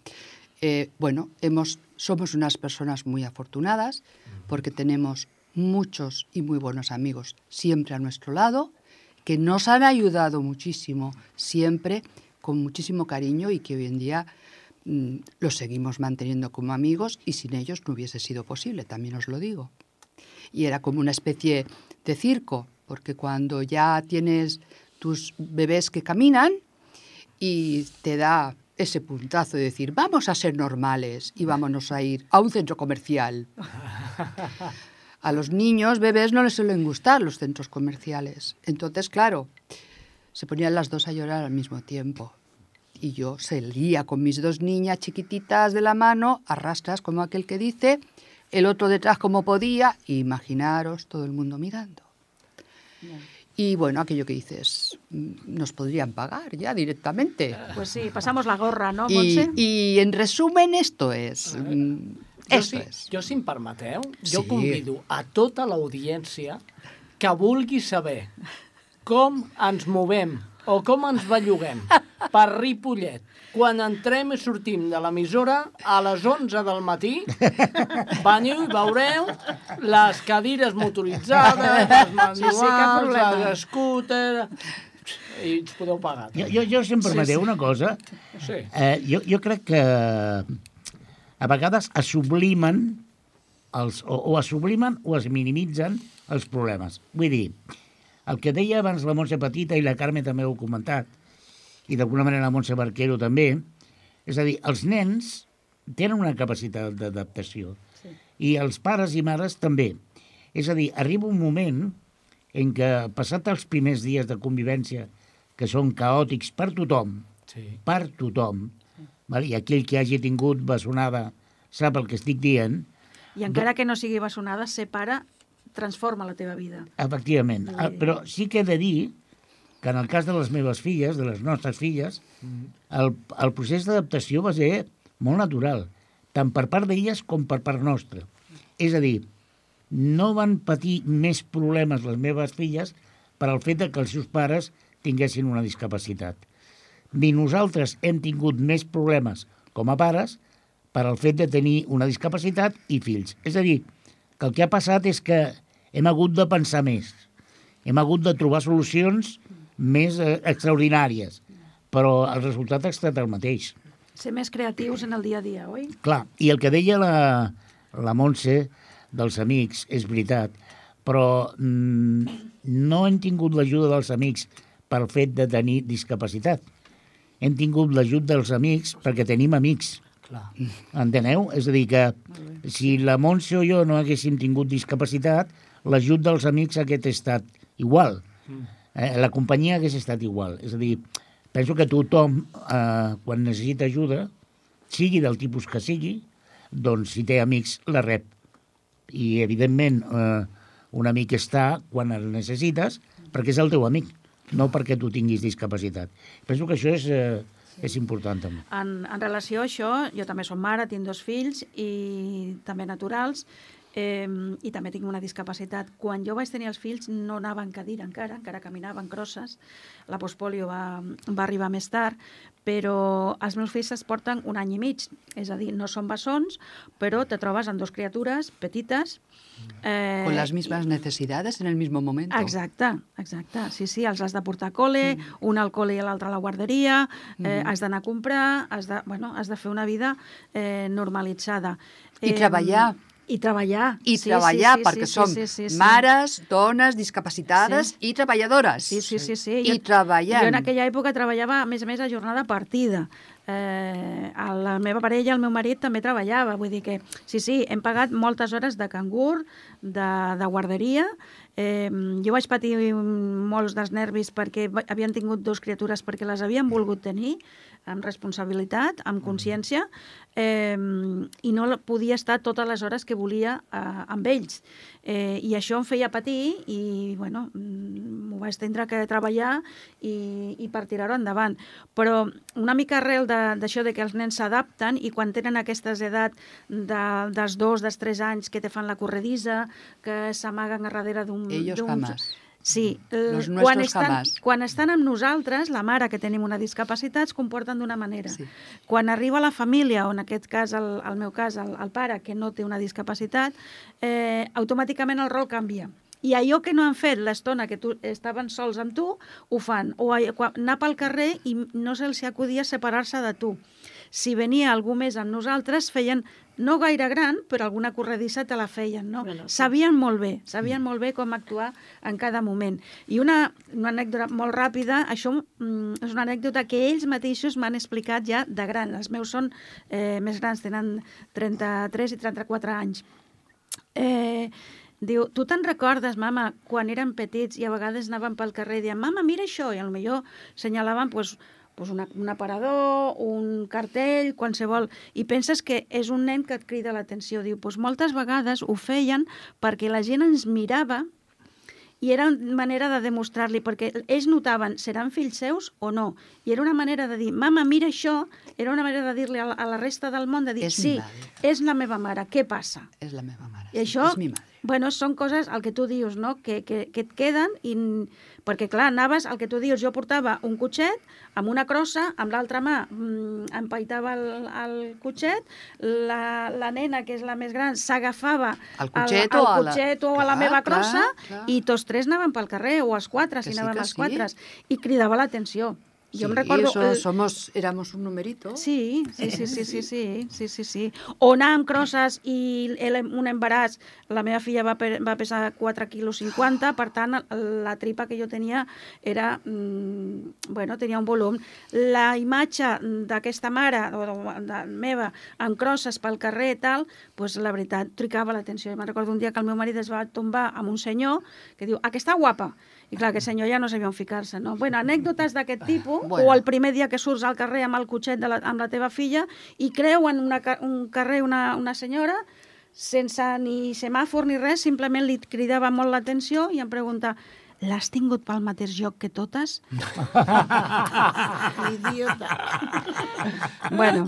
Eh, bueno, hemos, somos unas personas muy afortunadas, porque tenemos muchos y muy buenos amigos siempre a nuestro lado, que nos han ayudado muchísimo, siempre con muchísimo cariño, y que hoy en día mm, los seguimos manteniendo como amigos, y sin ellos no hubiese sido posible, también os lo digo. Y era como una especie de circo, porque cuando ya tienes tus bebés que caminan y te da ese puntazo de decir, vamos a ser normales y vámonos a ir a un centro comercial. A los niños, bebés, no les suelen gustar los centros comerciales. Entonces, claro, se ponían las dos a llorar al mismo tiempo. Y yo salía con mis dos niñas chiquititas de la mano, arrastras como aquel que dice, el otro detrás como podía, y imaginaros todo el mundo mirando. Y bueno, aquello que dices, mm, nos podrían pagar ya directamente. Pues sí, pasamos la gorra, no, Y, Montse? y en resumen esto es... mm, Jo, esto si, es. jo, si em permeteu, jo Sí. convido a tota l'audiència que vulgui saber com ens movem o com ens belluguem per Ripollet quan entrem i sortim de l'emissora a les onze del matí. Veniu i veureu les cadires motoritzades, les manuals, sí, cap problema. els scooters... I ens podeu pagar. Jo, jo, jo si em permeteu Sí, sí. una cosa, Sí. eh, jo, jo crec que a vegades es sublimen els, o, o es sublimen o es minimitzen els problemes. Vull dir, el que deia abans la Montse Petita i la Carme també ho ha comentat, i d'alguna manera la Montse Barquero també, és a dir, els nens tenen una capacitat d'adaptació sí. i els pares i mares també. És a dir, arriba un moment en què, passat els primers dies de convivència, que són caòtics per tothom, sí. per tothom, val? I aquell que hagi tingut bessonada sap el que estic dient. I encara que no sigui bessonada, ser pare transforma la teva vida. Efectivament. Sí. Però sí que he de dir que en el cas de les meves filles, de les nostres filles, el, el procés d'adaptació va ser molt natural, tant per part d'elles com per part nostra. És a dir, no van patir més problemes les meves filles per al fet de que els seus pares tinguessin una discapacitat. Ni nosaltres hem tingut més problemes com a pares per al fet de tenir una discapacitat i fills. És a dir, que el que ha passat és que hem hagut de pensar més, hem hagut de trobar solucions més eh, extraordinàries, però el resultat ha estat el mateix. Ser més creatius en el dia a dia, oi? Clar, i el que deia la, la Montse dels amics és veritat, però mm, no hem tingut l'ajuda dels amics pel fet de tenir discapacitat. Hem tingut l'ajut dels amics perquè tenim amics. Clar. Enteneu? És a dir, que si la Montse o jo no haguéssim tingut discapacitat, l'ajut dels amics hagués estat igual. Eh? La companyia hagués estat igual. És a dir, penso que tothom, eh, quan necessita ajuda, sigui del tipus que sigui, doncs si té amics, la rep. I, evidentment, eh, un amic està quan el necessites perquè és el teu amic, no perquè tu tinguis discapacitat. Penso que això és... Eh, és important, també. En, en relació a això, jo també som mare, tinc dos fills, i també naturals, eh, i també tinc una discapacitat. Quan jo vaig tenir els fills no anava en cadira encara, encara caminaven crosses. La postpolio va, va arribar més tard, però els meus fills es porten un any i mig. És a dir, no són bessons, però te trobes amb dos criatures petites. Eh, Con las mismas necesidades en el mismo momento. Exacte, exacte. Sí, sí, els has de portar a col·le, mm. un al col·le i l'altre a la guarderia, eh, mm. has d'anar a comprar, has de, bueno, has de fer una vida eh, normalitzada. I eh, treballar. I treballar. I sí, treballar, sí, sí, perquè sí, som sí, sí, sí. mares, dones, discapacitades sí. i treballadores. Sí, sí, sí. sí. I jo, treballant. Jo en aquella època treballava, a més a més, a jornada partida. Eh, la meva parella, el meu marit, també treballava. Vull dir que, sí, sí, hem pagat moltes hores de cangur, de, de guarderia. Eh, jo vaig patir molts dels nervis perquè havien tingut dos criatures perquè les havien volgut tenir, amb responsabilitat, amb consciència, eh, i no podia estar totes les hores que volia eh, amb ells. Eh, I això em feia patir i, bueno, m'ho vaig tindre que treballar i, i per tirar-ho endavant. Però una mica arrel d'això de, de que els nens s'adapten i quan tenen aquesta edat de, dels dos, dels tres anys que te fan la corredissa, que s'amaguen a darrere d'un... Ellos jamás. Sí, Los quan estan, jamás. quan estan amb nosaltres, la mare que tenim una discapacitat es comporten d'una manera. Sí. Quan arriba la família, o en aquest cas, el, el meu cas, el, el pare que no té una discapacitat, eh, automàticament el rol canvia. I allò que no han fet l'estona que tu, estaven sols amb tu, ho fan. O anar pel carrer i no se'ls acudia separar-se de tu. Si venia algú més amb nosaltres, feien, no gaire gran, però alguna corredissa te la feien, no? Bueno, sí. Sabien molt bé, sabien molt bé com actuar en cada moment. I una, una anècdota molt ràpida, això mm, és una anècdota que ells mateixos m'han explicat ja de gran. Els meus són eh, més grans, tenen trenta-tres i trenta-quatre anys. Eh... Diu, tu te'n recordes, mama, quan érem petits i a vegades anàvem pel carrer i diem, mama, mira això, i potser senyalaven pues, pues una, un aparador, un cartell, qualsevol, i penses que és un nen que et crida l'atenció. Diu, pues moltes vegades ho feien perquè la gent ens mirava i era una manera de demostrar-li, perquè ells notaven, seran fills seus o no? I era una manera de dir, mama, mira això, era una manera de dir-li a, a la resta del món, de dir, és sí, és la meva mare, què passa? És la meva mare, I sí, això, és mi mare. Bueno, són coses, el que tu dius, no? que, que, que et queden, i, perquè clar, anaves, el que tu dius, jo portava un cotxet amb una crossa, amb l'altra mà mm, empaitava el, el cotxet, la, la nena, que és la més gran, s'agafava al cotxet, al, o, al cotxet a la... o a la clar, meva crossa, clar, clar. I tots tres anaven pel carrer, o els quatre, Que si sí, anàvem que els sí. quatre, i cridava l'atenció. Yo Sí, me recordo... eso el- somos, éramos un numerito. Sí, sí, sí, sí, sí, sí, sí, sí, sí. O anar amb crosses i el, un embaràs, la meva filla va, pe, va pesar quatre quilos cinquanta, per tant, la tripa que jo tenia era, mm, bueno, tenia un volum. La imatge d'aquesta mare, o de, de meva, amb crosses pel carrer i tal, pues, la veritat, tricava l'atenció. Me'n recordo un dia que el meu marit es va tombar amb un senyor que diu, aquesta guapa. I clar, aquest senyor ja no sabia on ficar-se, no? Bueno, anècdotes d'aquest tipus, Bueno. o el primer dia que surts al carrer amb el cotxet de la, amb la teva filla i creuen una, ca- un carrer una, una senyora sense ni semàfor ni res, simplement li cridava molt l'atenció i em pregunta, l'has tingut pel mateix lloc que totes? Idiota. Bueno,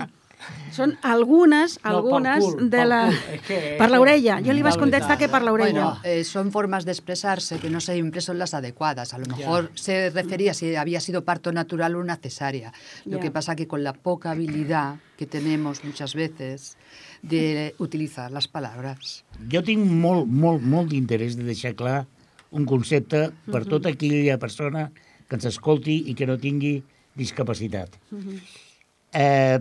són algunes, No, pel algunes cul, de pel la... cul. És que- Per l'orella. Jo li La vaig contestar veritat, que per l'orella. Bueno, eh, son formas de expresarse que no siempre son las adecuadas. A lo mejor se refería si había sido parto natural o una cesárea. Lo Ya. que pasa que con la poca habilidad que tenemos muchas veces de utilizar las palabras. Jo tinc molt, molt, molt d'interès de deixar clar un concepte per tota aquella persona que ens escolti i que no tingui discapacitat. eh,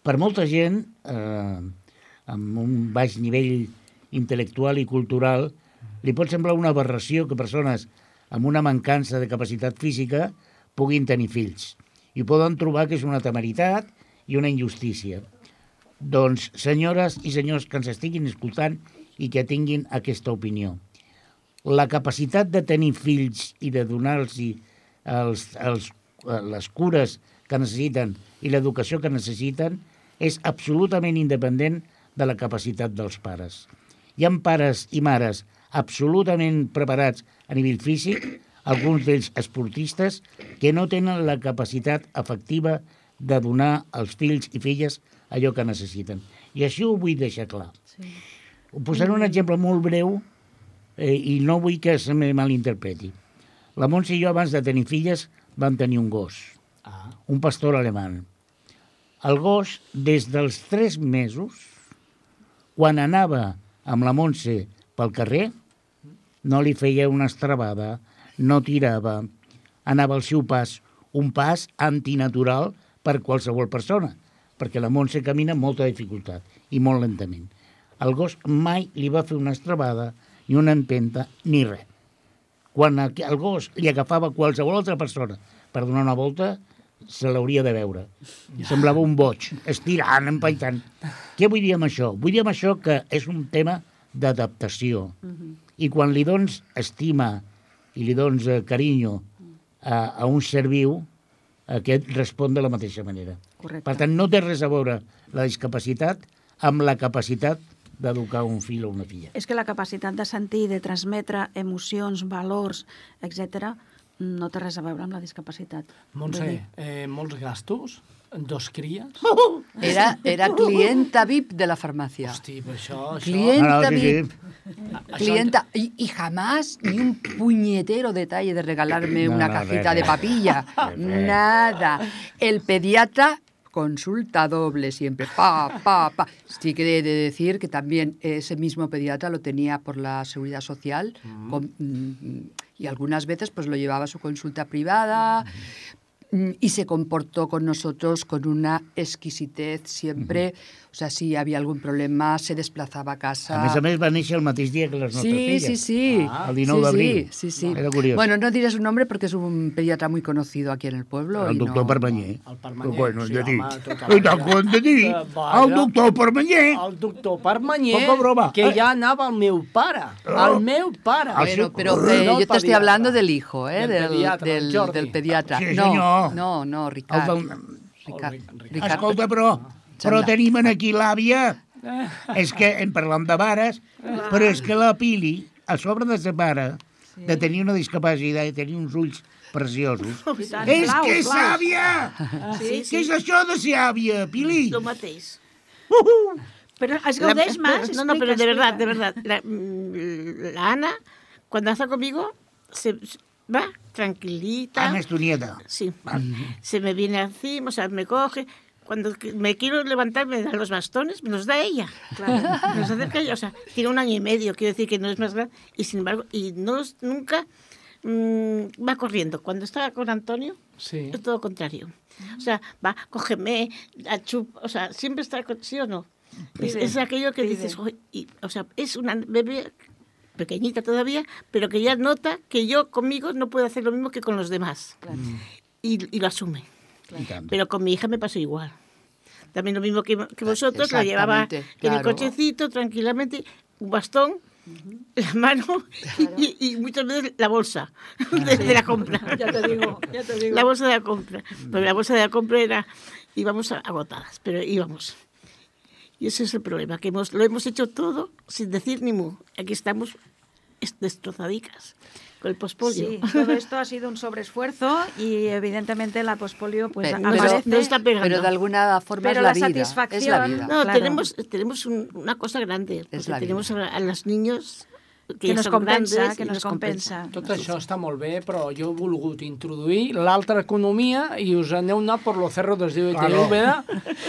per molta gent, eh, amb un baix nivell intel·lectual i cultural, li pot semblar una aberració que persones amb una mancança de capacitat física puguin tenir fills. I poden trobar que és una temeritat i una injustícia. Doncs, senyores i senyors que ens estiguin escoltant i que tinguin aquesta opinió, la capacitat de tenir fills i de donar-los els, els, les cures que necessiten i l'educació que necessiten és absolutament independent de la capacitat dels pares. Hi ha pares i mares absolutament preparats a nivell físic, alguns d'ells esportistes, que no tenen la capacitat efectiva de donar als fills i filles allò que necessiten. I això ho vull deixar clar. Sí. Posaré un exemple molt breu eh, i no vull que se me malinterpreti. La Montse i jo, abans de tenir filles, vam tenir un gos, Ah. un pastor alemany. El gos, des dels tres mesos, quan anava amb la Montse pel carrer, no li feia una estrabada, no tirava, anava al seu pas, un pas antinatural per qualsevol persona, perquè la Montse camina amb molta dificultat i molt lentament. El gos mai li va fer una estrabada, ni una empenta, ni res. Quan el gos li agafava qualsevol altra persona per donar una volta, se l'hauria de veure. Semblava un boig, estirant, empaitant. Què vull dir amb això? Vull dir amb això que és un tema d'adaptació. I quan li dones estima i li dones eh, carinyo a, a un ser viu, aquest respon de la mateixa manera. Correcte. Per tant, no té res a veure la discapacitat amb la capacitat d'educar un fill o una filla. És que la capacitat de sentir, de transmetre emocions, valors, etcètera, no té res a veure amb la discapacitat. Vull Montse, dir, eh, molts gastos, dos cries... Era, era clienta V I P de la farmacia. Hosti, per això... això... Clienta Ah, no, sí, V I P. sí. Clienta, y, y jamás ni un puñetero detalle de regalarme No, una no, cajita re, de re. papilla. Re, re. Nada. El pediatra, consulta doble siempre. Pa, pa, pa. Sí que he de decir que también ese mismo pediatra lo tenía por la Seguridad Social con- mm, y algunas veces pues lo llevaba a su consulta privada. Mm, Y se comportó con nosotros con una exquisitez siempre. O sea, si había algún problema, se desplazaba a casa. A més a més, va néixer el mateix dia que les nostres Sí, filles. sí, sí. Ah, el dinou Sí, d'abril. Sí, sí, sí. Era curiós. Bueno, no diré su nombre porque es un pediatra muy conocido aquí en el pueblo. El y doctor no... Permanyer. El Permanyer, Bueno, sí, ja dic. home, tota la I vida. tant que ho hem de dir. Eh, vaja. El doctor Permanyer. El doctor Permanyer, Poca broma. que ja anava al meu pare. Al meu pare. Al seu- Bueno, pero No eh, el yo te estoy pediatra. hablando del hijo, ¿eh? Del Del, pediatra, del, el Jordi. del pediatra. Sí, no, senyor. no, no, El Ricard. del... Ricard. El Ric- Ricard. Escolta, però, però Sembla. tenim aquí l'àvia. És que en parlam de mares, però és que la Pili, a sobre de ser mare, de tenir una discapacitat i tenir uns ulls preciosos, tant, és blaus, que és blaus. àvia! Sí, Què sí, és això de ser àvia, Pili? lo mateix. Pero es La- gaudeix más. No, no, pero explica, de verdad, de explica. verdad. La, mm, la Ana, cuando está conmigo, se va tranquilita. Ana es tu nieta. Sí, se me viene encima, o sea, me coge. Cuando que- me quiero levantar, me da los bastones, me los da ella. Claro, me los acerca ella. O sea, tiene un año y medio, quiero decir que no es más grande. Y sin embargo, y no, nunca mmm, va corriendo. Cuando está con Antonio, Sí. es todo lo contrario. O sea, va, cógeme, achup, o sea, siempre está con, ¿sí o no? Es, es aquello que dices, "Joder", y, o sea, es una bebé pequeñita todavía, pero que ya nota que yo conmigo no puedo hacer lo mismo que con los demás. Claro. Y, y lo asume. I tant. Pero con mi hija me pasó igual. También lo mismo que, que vosotros, la llevaba Exactamente, en el claro. cochecito, tranquilamente, un bastón, la mano y, y muchas veces la bolsa de, de la compra. Ya te digo, ya te digo. La bolsa de la compra. Pero la bolsa de la compra era, íbamos agotadas, pero íbamos. Y ese es el problema, que hemos, lo hemos hecho todo sin decir ni mu. Aquí estamos es- destrozadicas con el pospolio. Sí, todo esto ha sido un sobreesfuerzo y evidentemente la pospolio pues Pero- No, aparece. no está pegando. Pero de alguna forma Pero es la, la vida. Es la satisfacción- vida. No, Claro. tenemos, tenemos un- una cosa grande, porque la tenemos a, a los niños que, que ja nos són compensa, grandes que i nos nos compensa. Tot això està molt bé, però jo he volgut introduir l'altra economia i us aneu anat per lo cerro dels diu Claro. de Úbeda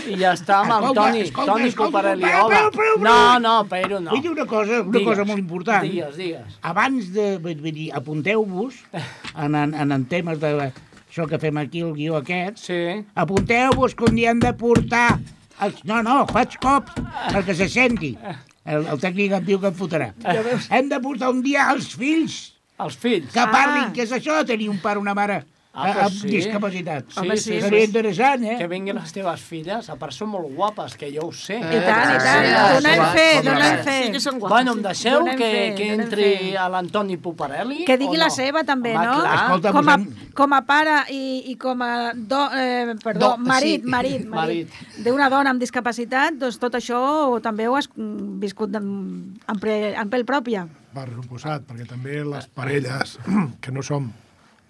i ja està amb el Escolta, Toni, escolta, Toni escolta, Puparelli. però, Hola. però, però, però. No, no, però no. Vull dir una cosa, una Digues, cosa molt important. Digues, digues. Abans de... Vull dir, apunteu-vos en, en, en, en temes de això que fem aquí, el guió aquest, Sí. apunteu-vos que un dia hem de portar... Els... No, no, faig cops perquè se senti. El, el tècnic em diu que em fotrà. Hem de portar un dia els fills Els fills. que parlin, Ah. què és això de tenir un pare o una mare Ah, a- pues amb sí. discapacitat. Sí, Home, sí, sí, Seria sí. interessant, eh? Que vinguin les teves filles, a part són molt guapes, que jo ho sé. I tant, i tant, Sí, donem sí, fe, sí, donem sí. fe. Sí que són guapos. Bueno, em deixeu Donem que, fe, que donem entri fe. a l'Antoni Puparelli? Que digui o la no? seva també, Home, no? Clar. Escolta, com, a, posem- com a pare i, i com a do, eh, perdó, Do- marit, sí. marit, marit, d'una dona amb discapacitat, doncs tot això també ho has mm, viscut en, en, pre, en pell pròpia. Per suposat, perquè també les parelles que no som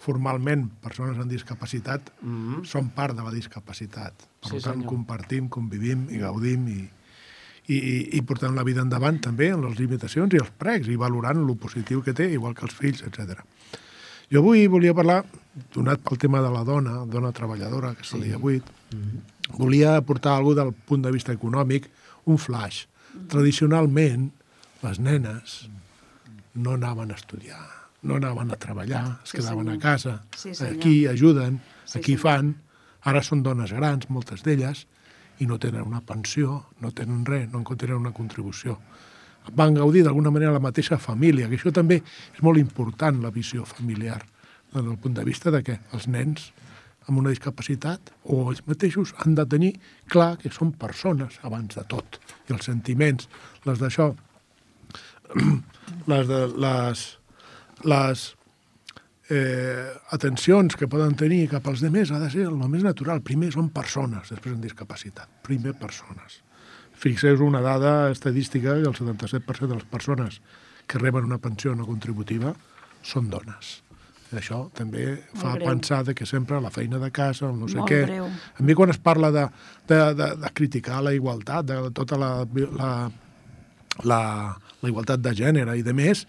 formalment persones amb discapacitat Mhm. són part de la discapacitat. Per Sí, tant, senyor. compartim, convivim i gaudim i, i, i, i portem la vida endavant també en les limitacions i els precs i valorant lo positiu que té, igual que els fills, etcètera. Jo avui volia parlar, donat pel tema de la dona, dona treballadora, que és el dia vuit, volia aportar alguna del punt de vista econòmic, un flash. Tradicionalment, les nenes no anaven a estudiar, no anaven a treballar, es Sí, quedaven senyor. a casa, Sí, senyor. aquí ajuden, Sí, aquí senyor. fan, ara són dones grans, moltes d'elles, i no tenen una pensió, no tenen res, no en tenen una contribució. Van gaudir d'alguna manera la mateixa família, que això també és molt important, la visió familiar, des del punt de vista de que els nens amb una discapacitat o ells mateixos han de tenir clar que són persones abans de tot. I els sentiments, les d'això, les de les, les eh, atencions que poden tenir cap als demés ha de ser el més natural. Primer són persones, després en discapacitat. Primer persones. Fixeu una dada estadística que el setanta-set per cent de les persones que reben una pensió no contributiva són dones. I això també fa greu. pensar de que sempre la feina de casa, el no sé Molt què... greu. A mi quan es parla de, de, de, de criticar la igualtat, de tota la, la, la, la igualtat de gènere i de més,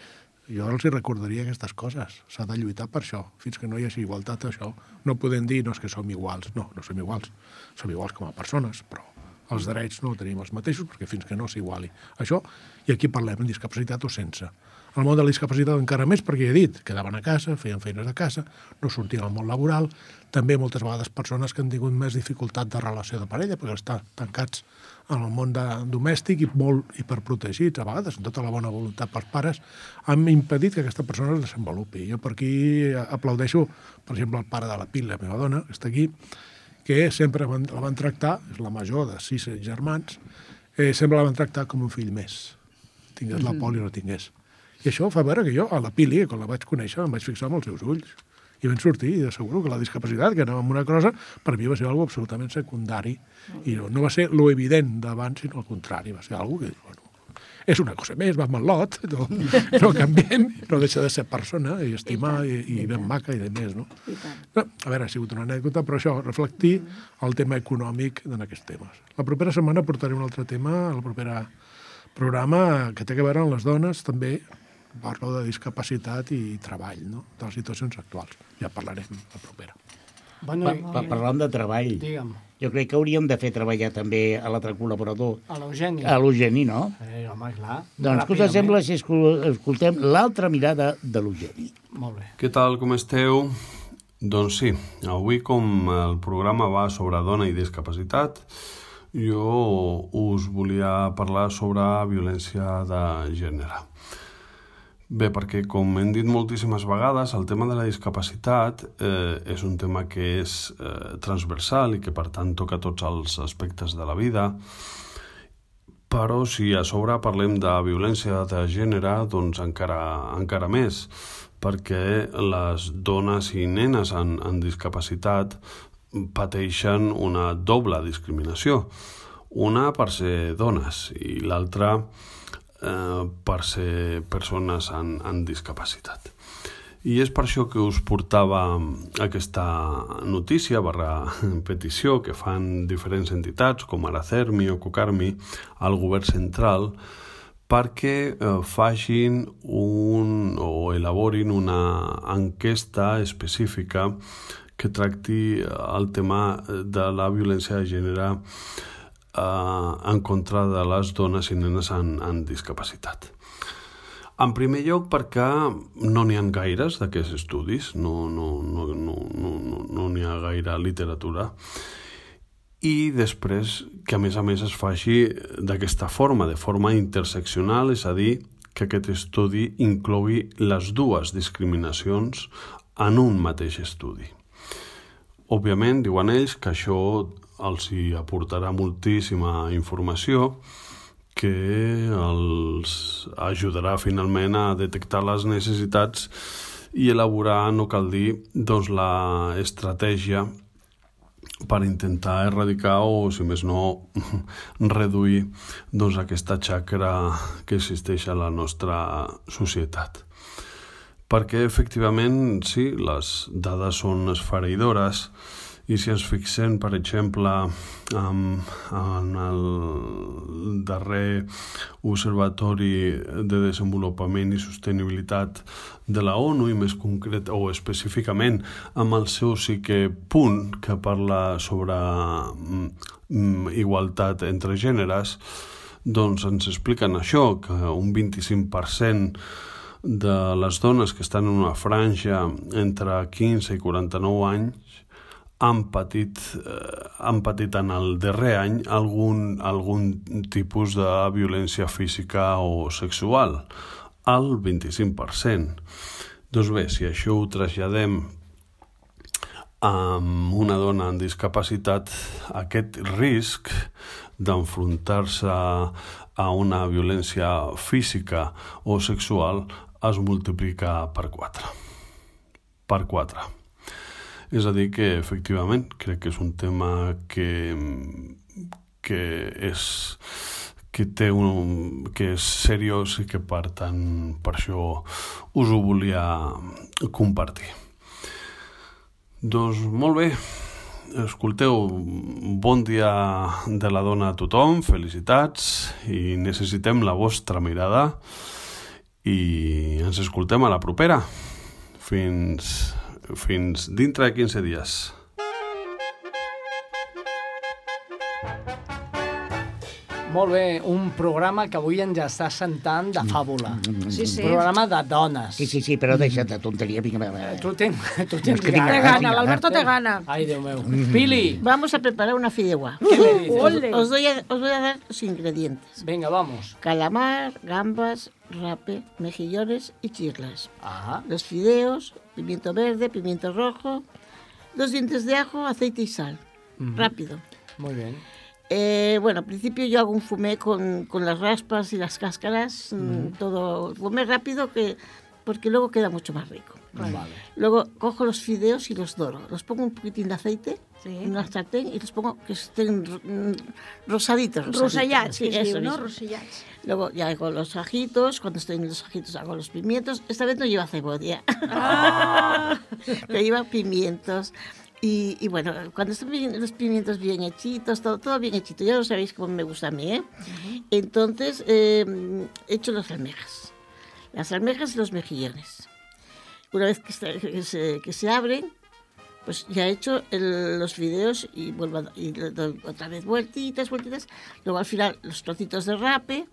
jo els hi recordaria aquestes coses. S'ha de lluitar per això. Fins que no hi hagi igualtat, això no podem dir no és que som iguals. No, no som iguals. Som iguals com a persones, però els drets no tenim els mateixos perquè fins que no s'iguali. Això, i aquí parlem en discapacitat o sense. En el món de la discapacitat encara més, perquè ja he dit, quedaven a casa, feien feines de casa, no sortien al món laboral, també moltes vegades persones que han tingut més dificultat de relació de parella, perquè estan tancats en el món de, domèstic i molt hiperprotegits, a vegades, amb tota la bona voluntat pels pares, han impedit que aquesta persona es desenvolupi. Jo per aquí aplaudeixo, per exemple, el pare de la Pil, la meva dona, que està aquí, que sempre van, la van tractar, és la major de sis germans, eh, sempre la van tractar com un fill més. Tingués la poli o no tingués. I això fa veure que jo, a la Pili, quan la vaig conèixer, em vaig fixar en els seus ulls. I vam sortir, i asseguro que la discapacitat, que anava amb una cosa, per mi va ser algo absolutament secundari. I no, no va ser lo evident d'abans, sinó al contrari. Va ser algo que, bueno, és una cosa més, va amb el lot, no, no canviem, no deixa de ser persona, i estimar, i, i ben maca, i de més, no? no? A veure, ha sigut una anècdota, però això, reflectir el tema econòmic en aquests temes. La propera setmana portaré un altre tema, el proper programa, que té a veure amb les dones, també, parlo de discapacitat i treball, no? De les situacions actuals. Ja parlarem la propera. Bueno, Pa, pa, parlant de treball, digue'm, jo crec que hauríem de fer treballar també a l'altre col·laborador, a l'Eugeni. a l'Eugeni, no? Eh, home, clar. Doncs què us Ràpidament. sembla si escol- escoltem l'altra mirada de l'Eugeni? Molt bé. Què tal, com esteu? Doncs sí, avui com el programa va sobre dona i discapacitat, jo us volia parlar sobre violència de gènere. Bé, perquè com hem dit moltíssimes vegades, el tema de la discapacitat eh, és un tema que és eh, transversal i que per tant toca tots els aspectes de la vida, però si a sobre parlem de violència de gènere, doncs encara, encara més, perquè les dones i nenes en, en discapacitat pateixen una doble discriminació. Una per ser dones i l'altra eh, per ser persones en, en discapacitat. I és per això que us portava aquesta notícia barra petició que fan diferents entitats com ara CERMI o COCARMI al govern central perquè eh, facin un, o elaborin una enquesta específica que tracti el tema de la violència de gènere eh, en contra de les dones i nenes en, en discapacitat. En primer lloc perquè no n'hi ha gaires d'aquests estudis, no n'hi no, no, no, no, no n'hi ha gaire literatura, i després que a més a més es faci d'aquesta forma, de forma interseccional, és a dir, que aquest estudi inclogui les dues discriminacions en un mateix estudi. Òbviament, diuen ells que això els hi aportarà moltíssima informació que els ajudarà finalment a detectar les necessitats i elaborar, no cal dir, doncs, la estratègia per intentar erradicar o, si més no, reduir doncs, aquesta xacra que existeix a la nostra societat. Perquè, efectivament, sí, les dades són esfereïdores i si ens fixem, per exemple, en, en el darrer Observatori de Desenvolupament i Sostenibilitat de la ONU, i més concret o específicament amb el seu cinquè punt que parla sobre mm, igualtat entre gèneres, doncs ens expliquen això, que un vint-i-cinc per cent de les dones que estan en una franja entre quinze i quaranta-nou anys han patit, eh, han patit en el darrer any algun, algun tipus de violència física o sexual, al vint-i-cinc per cent. Doncs bé, si això ho traslladem amb una dona amb discapacitat, aquest risc d'enfrontar-se a una violència física o sexual es multiplica per quatre. Per quatre. És a dir que, efectivament, crec que és un tema que, que, és, que, té un, que és seriós i que, per tant, per això us ho volia compartir. Doncs molt bé, escolteu, bon dia de la dona a tothom, felicitats, i necessitem la vostra mirada i ens escoltem a la propera. Fins... fins dintre de quinze dies. Molt bé, un programa que avui ens està sentant de fàbula. Sí, sí. Un programa de dones. Sí, sí, sí, però deixa't de tonteria. Vinga, va, va. Tu tens, tu tens que tinc Té gana, gana, l'Alberto té gana. Ai, Déu meu. Pili, Vamos a preparar una fideuá. ¿qué me dices? Ole. Os, doy a, os voy a dar los ingredientes. Venga, vamos. Calamar, gambas, rape, mejillones y chirlas. Ajá. Los fideos, pimiento verde, pimiento rojo, dos dientes de ajo, aceite y sal. Ujú. Rápido. Muy bien. Eh, bueno, al principio yo hago un fumé con, con las raspas y las cáscaras, mm, todo fumé rápido que, porque luego queda mucho más rico. Vale. Luego cojo los fideos y los doro. Los pongo un poquitín de aceite Sí. en una sartén y los pongo que estén mm, rosaditos. rosaditos. Rosellats, Sí, que es eso diu, no? mismo. Rosellats. Luego ya hago los ajitos, cuando estoy en los ajitos hago los pimientos. Esta vez no lleva cebolla, Ah! pero lleva pimientos. Y, y bueno, cuando están bien, los pimientos bien hechitos, todo, todo bien hechito, ya lo sabéis cómo me gusta a mí, ¿eh? Uh-huh. Entonces, eh, echo las almejas, las almejas y los mejillones. Una vez que, está, que, se, que se abren, pues ya he hecho el, los videos y vuelvo a, y le doy otra vez vueltitas, vueltitas. Luego al final los trocitos de rape,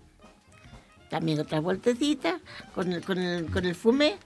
también otra vueltecita con el, con el, con el fumé.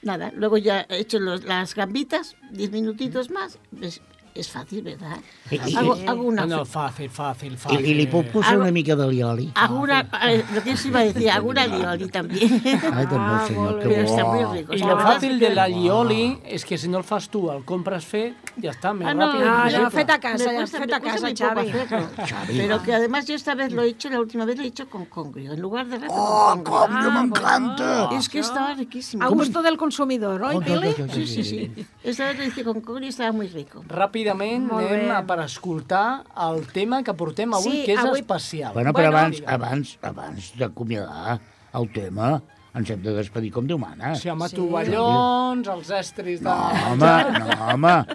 Nada, luego ya he hecho los, las gambitas, diez minutitos más. Es, és fàcil, ¿verdad? I, i, hago, hago una... No, no, fàcil, fàcil, I, fàcil. I li puc posar Hago- una mica de lioli? Hago una... eh, Lo que yo iba a decir, hago una lioli también. Ai, doncs Ah, el senyor, molt que Pero está muy bo. rico. I La lo verdad fàcil es de que- la lioli és que si no el fas tu, el compres fet, ja està, més Ah, no, ràpid. Ah, i no, simple. fet a casa, Me cuesta- fet me a cuesta casa, muy poco Xavi. hacerlo. Xavi, Pero va. que además yo esta vez lo he hecho, la última vez lo he hecho con congrio, en lugar de rape Oh, con com, congrio. jo m'encanta! Es que estaba riquísimo. A gusto del consumidor, oi, Oh, Pili? jo, jo, jo, Sí, sí, sí. Esta vez lo hice con congrio y estaba muy rico. Ràpidament Molt anem bé. a per escoltar el tema que portem avui, Sí, que és avui- especial. Bueno, però Bueno. abans, abans, abans d'acomiadar el tema, ens hem de despedir com Déu mana. Sí, home, Sí. tovallons, els estris de... No, home, no, home.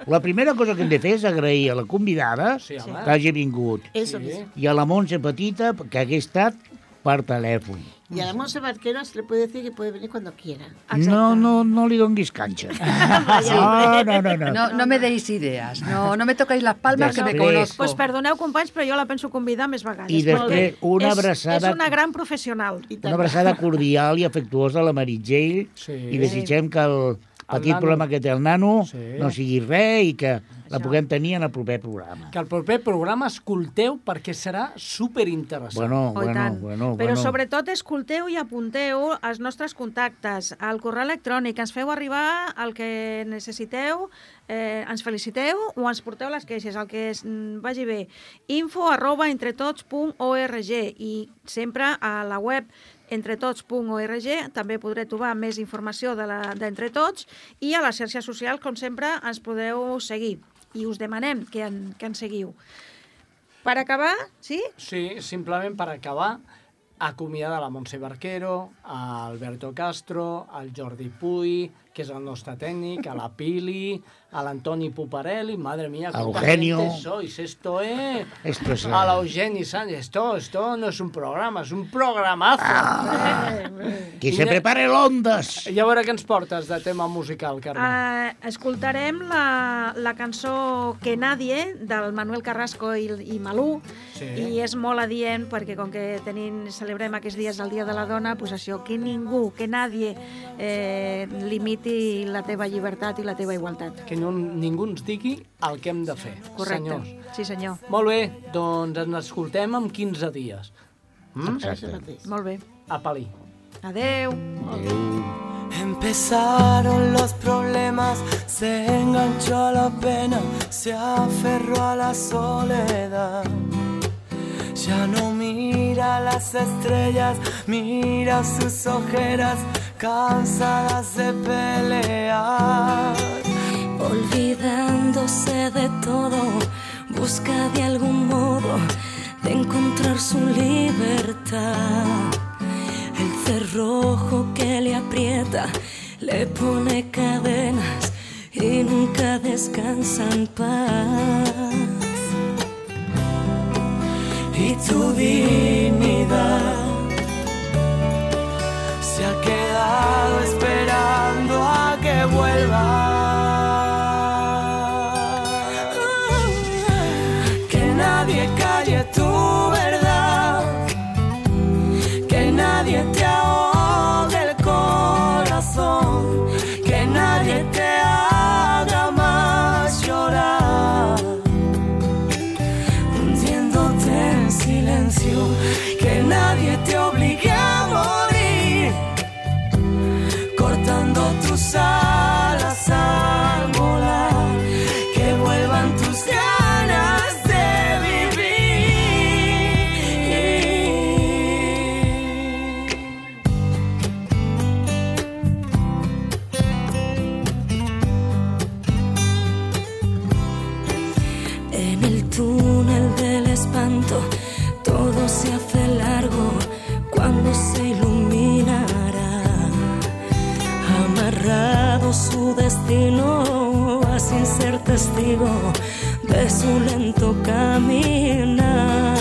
La primera cosa que hem de fer és agrair a la convidada Sí, home. que hagi vingut Eso Sí. mismo. i a la Montse Petita que hagués estat per telèfon. Y a la Monse Barquero se le puede decir que puede venir cuando quiera. No, no, no li donguis canxa. No, no, no, no. No, no me deis ideas, no, no me tocáis las palmas que me Després. conozco. Pues perdoneu, companys, però jo la penso convidar més vegades. I després, Molt bé. una És- abraçada- És una gran professional. Y Una tal. abraçada cordial i afectuosa a la Meritxell Sí. i desitgem que el petit nano. problema que té el nano Sí. no sigui res i que la Això. puguem tenir en el proper programa. Que el proper programa escolteu perquè serà superinteressant. Bueno, Oh, i bueno, tant. bueno, Però bueno. sobretot escolteu i apunteu els nostres contactes, al correu electrònic, ens feu arribar el que necessiteu, eh, ens feliciteu o ens porteu les queixes, el que es, mm, vagi bé. info arroba entretots punt org i sempre a la web entretots punt org també podreu trobar més informació de la- d'Entretots i a les xarxes socials, com sempre, ens podeu seguir i us demanem que, en, que ens seguiu. Per acabar, sí? Sí, simplement per acabar, acomiadar la Montse Barquero, a Alberto Castro, al Jordi Puy, que és el nostre tècnic, a la Pili, a l'Antoni Puparelli, madre mía, A cuánta Eugenio. gente sois, esto es... Esto es... A la Eugeni Sánchez, esto, esto no es un programa, es un programazo. Qui se prepare l'Ondes! I a veure què ens portes de tema musical, Carme. Uh, escoltarem la, la cançó Que Nadie, del Manuel Carrasco i, i Malú, Sí. i és molt adient perquè com que tenim, celebrem aquests dies el Dia de la Dona, pues això, que ningú, que nadie eh, limiti la teva llibertat i la teva igualtat. Que no, ningú ens digui el que hem de fer, Correcte. senyors. Sí, senyor. Molt bé, doncs ens escoltem en quinze dies. Mm? Exacte. Molt bé. A Palí. Adeu. Empezaron los problemas, se enganchó a la pena, se aferró a la soledad. Ya no mira las estrellas, mira sus ojeras, cansadas de pelear. Olvidándose de todo, busca de algún modo de encontrar su libertad. El cerrojo que le aprieta, le pone cadenas y nunca descansa en paz. Y tu dignidad se ha quedado esperando a que vuelva. Que nadie calle tu verdad, que nadie te ahogue el corazón, que nadie te haga más llorar, hundiéndote en silencio, que nadie te obligue a morir, cortando tus alas al volar, que vuelvan tus ganas de En el túnel del espanto todo se hace largo cuando se iluminará. Amarrado su destino a sin ser testigo de su lento caminar.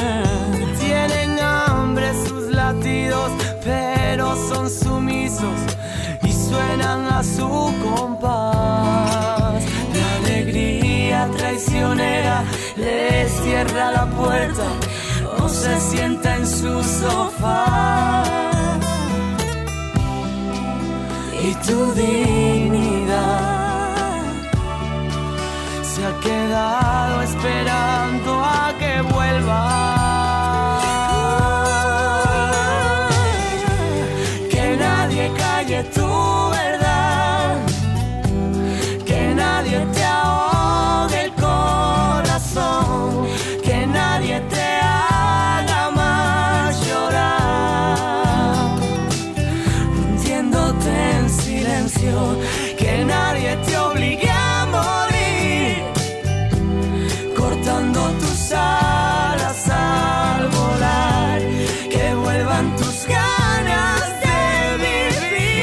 Tienen hambre sus latidos, pero son sumisos y suenan a su compás. La traicionera les cierra la puerta o se sienta en su sofá. Y tu dignidad se ha quedado esperando a que vuelva. Que nadie calle tu verdad, que nadie te ahogue el corazón, que nadie te haga más llorar, hundiéndote en silencio, que nadie te obligue a morir, cortando tus alas al volar, que vuelvan tus ganas de vivir,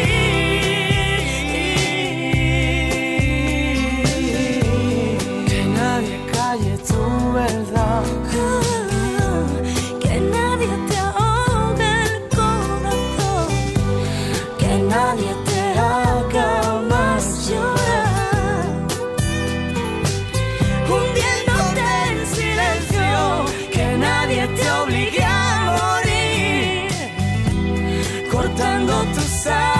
que nadie calle tu verdad, Que nadie te ahogue el corazón, que nadie te haga más llorar, hundiéndote en silencio, que nadie te obligue a morir, cortando tus alas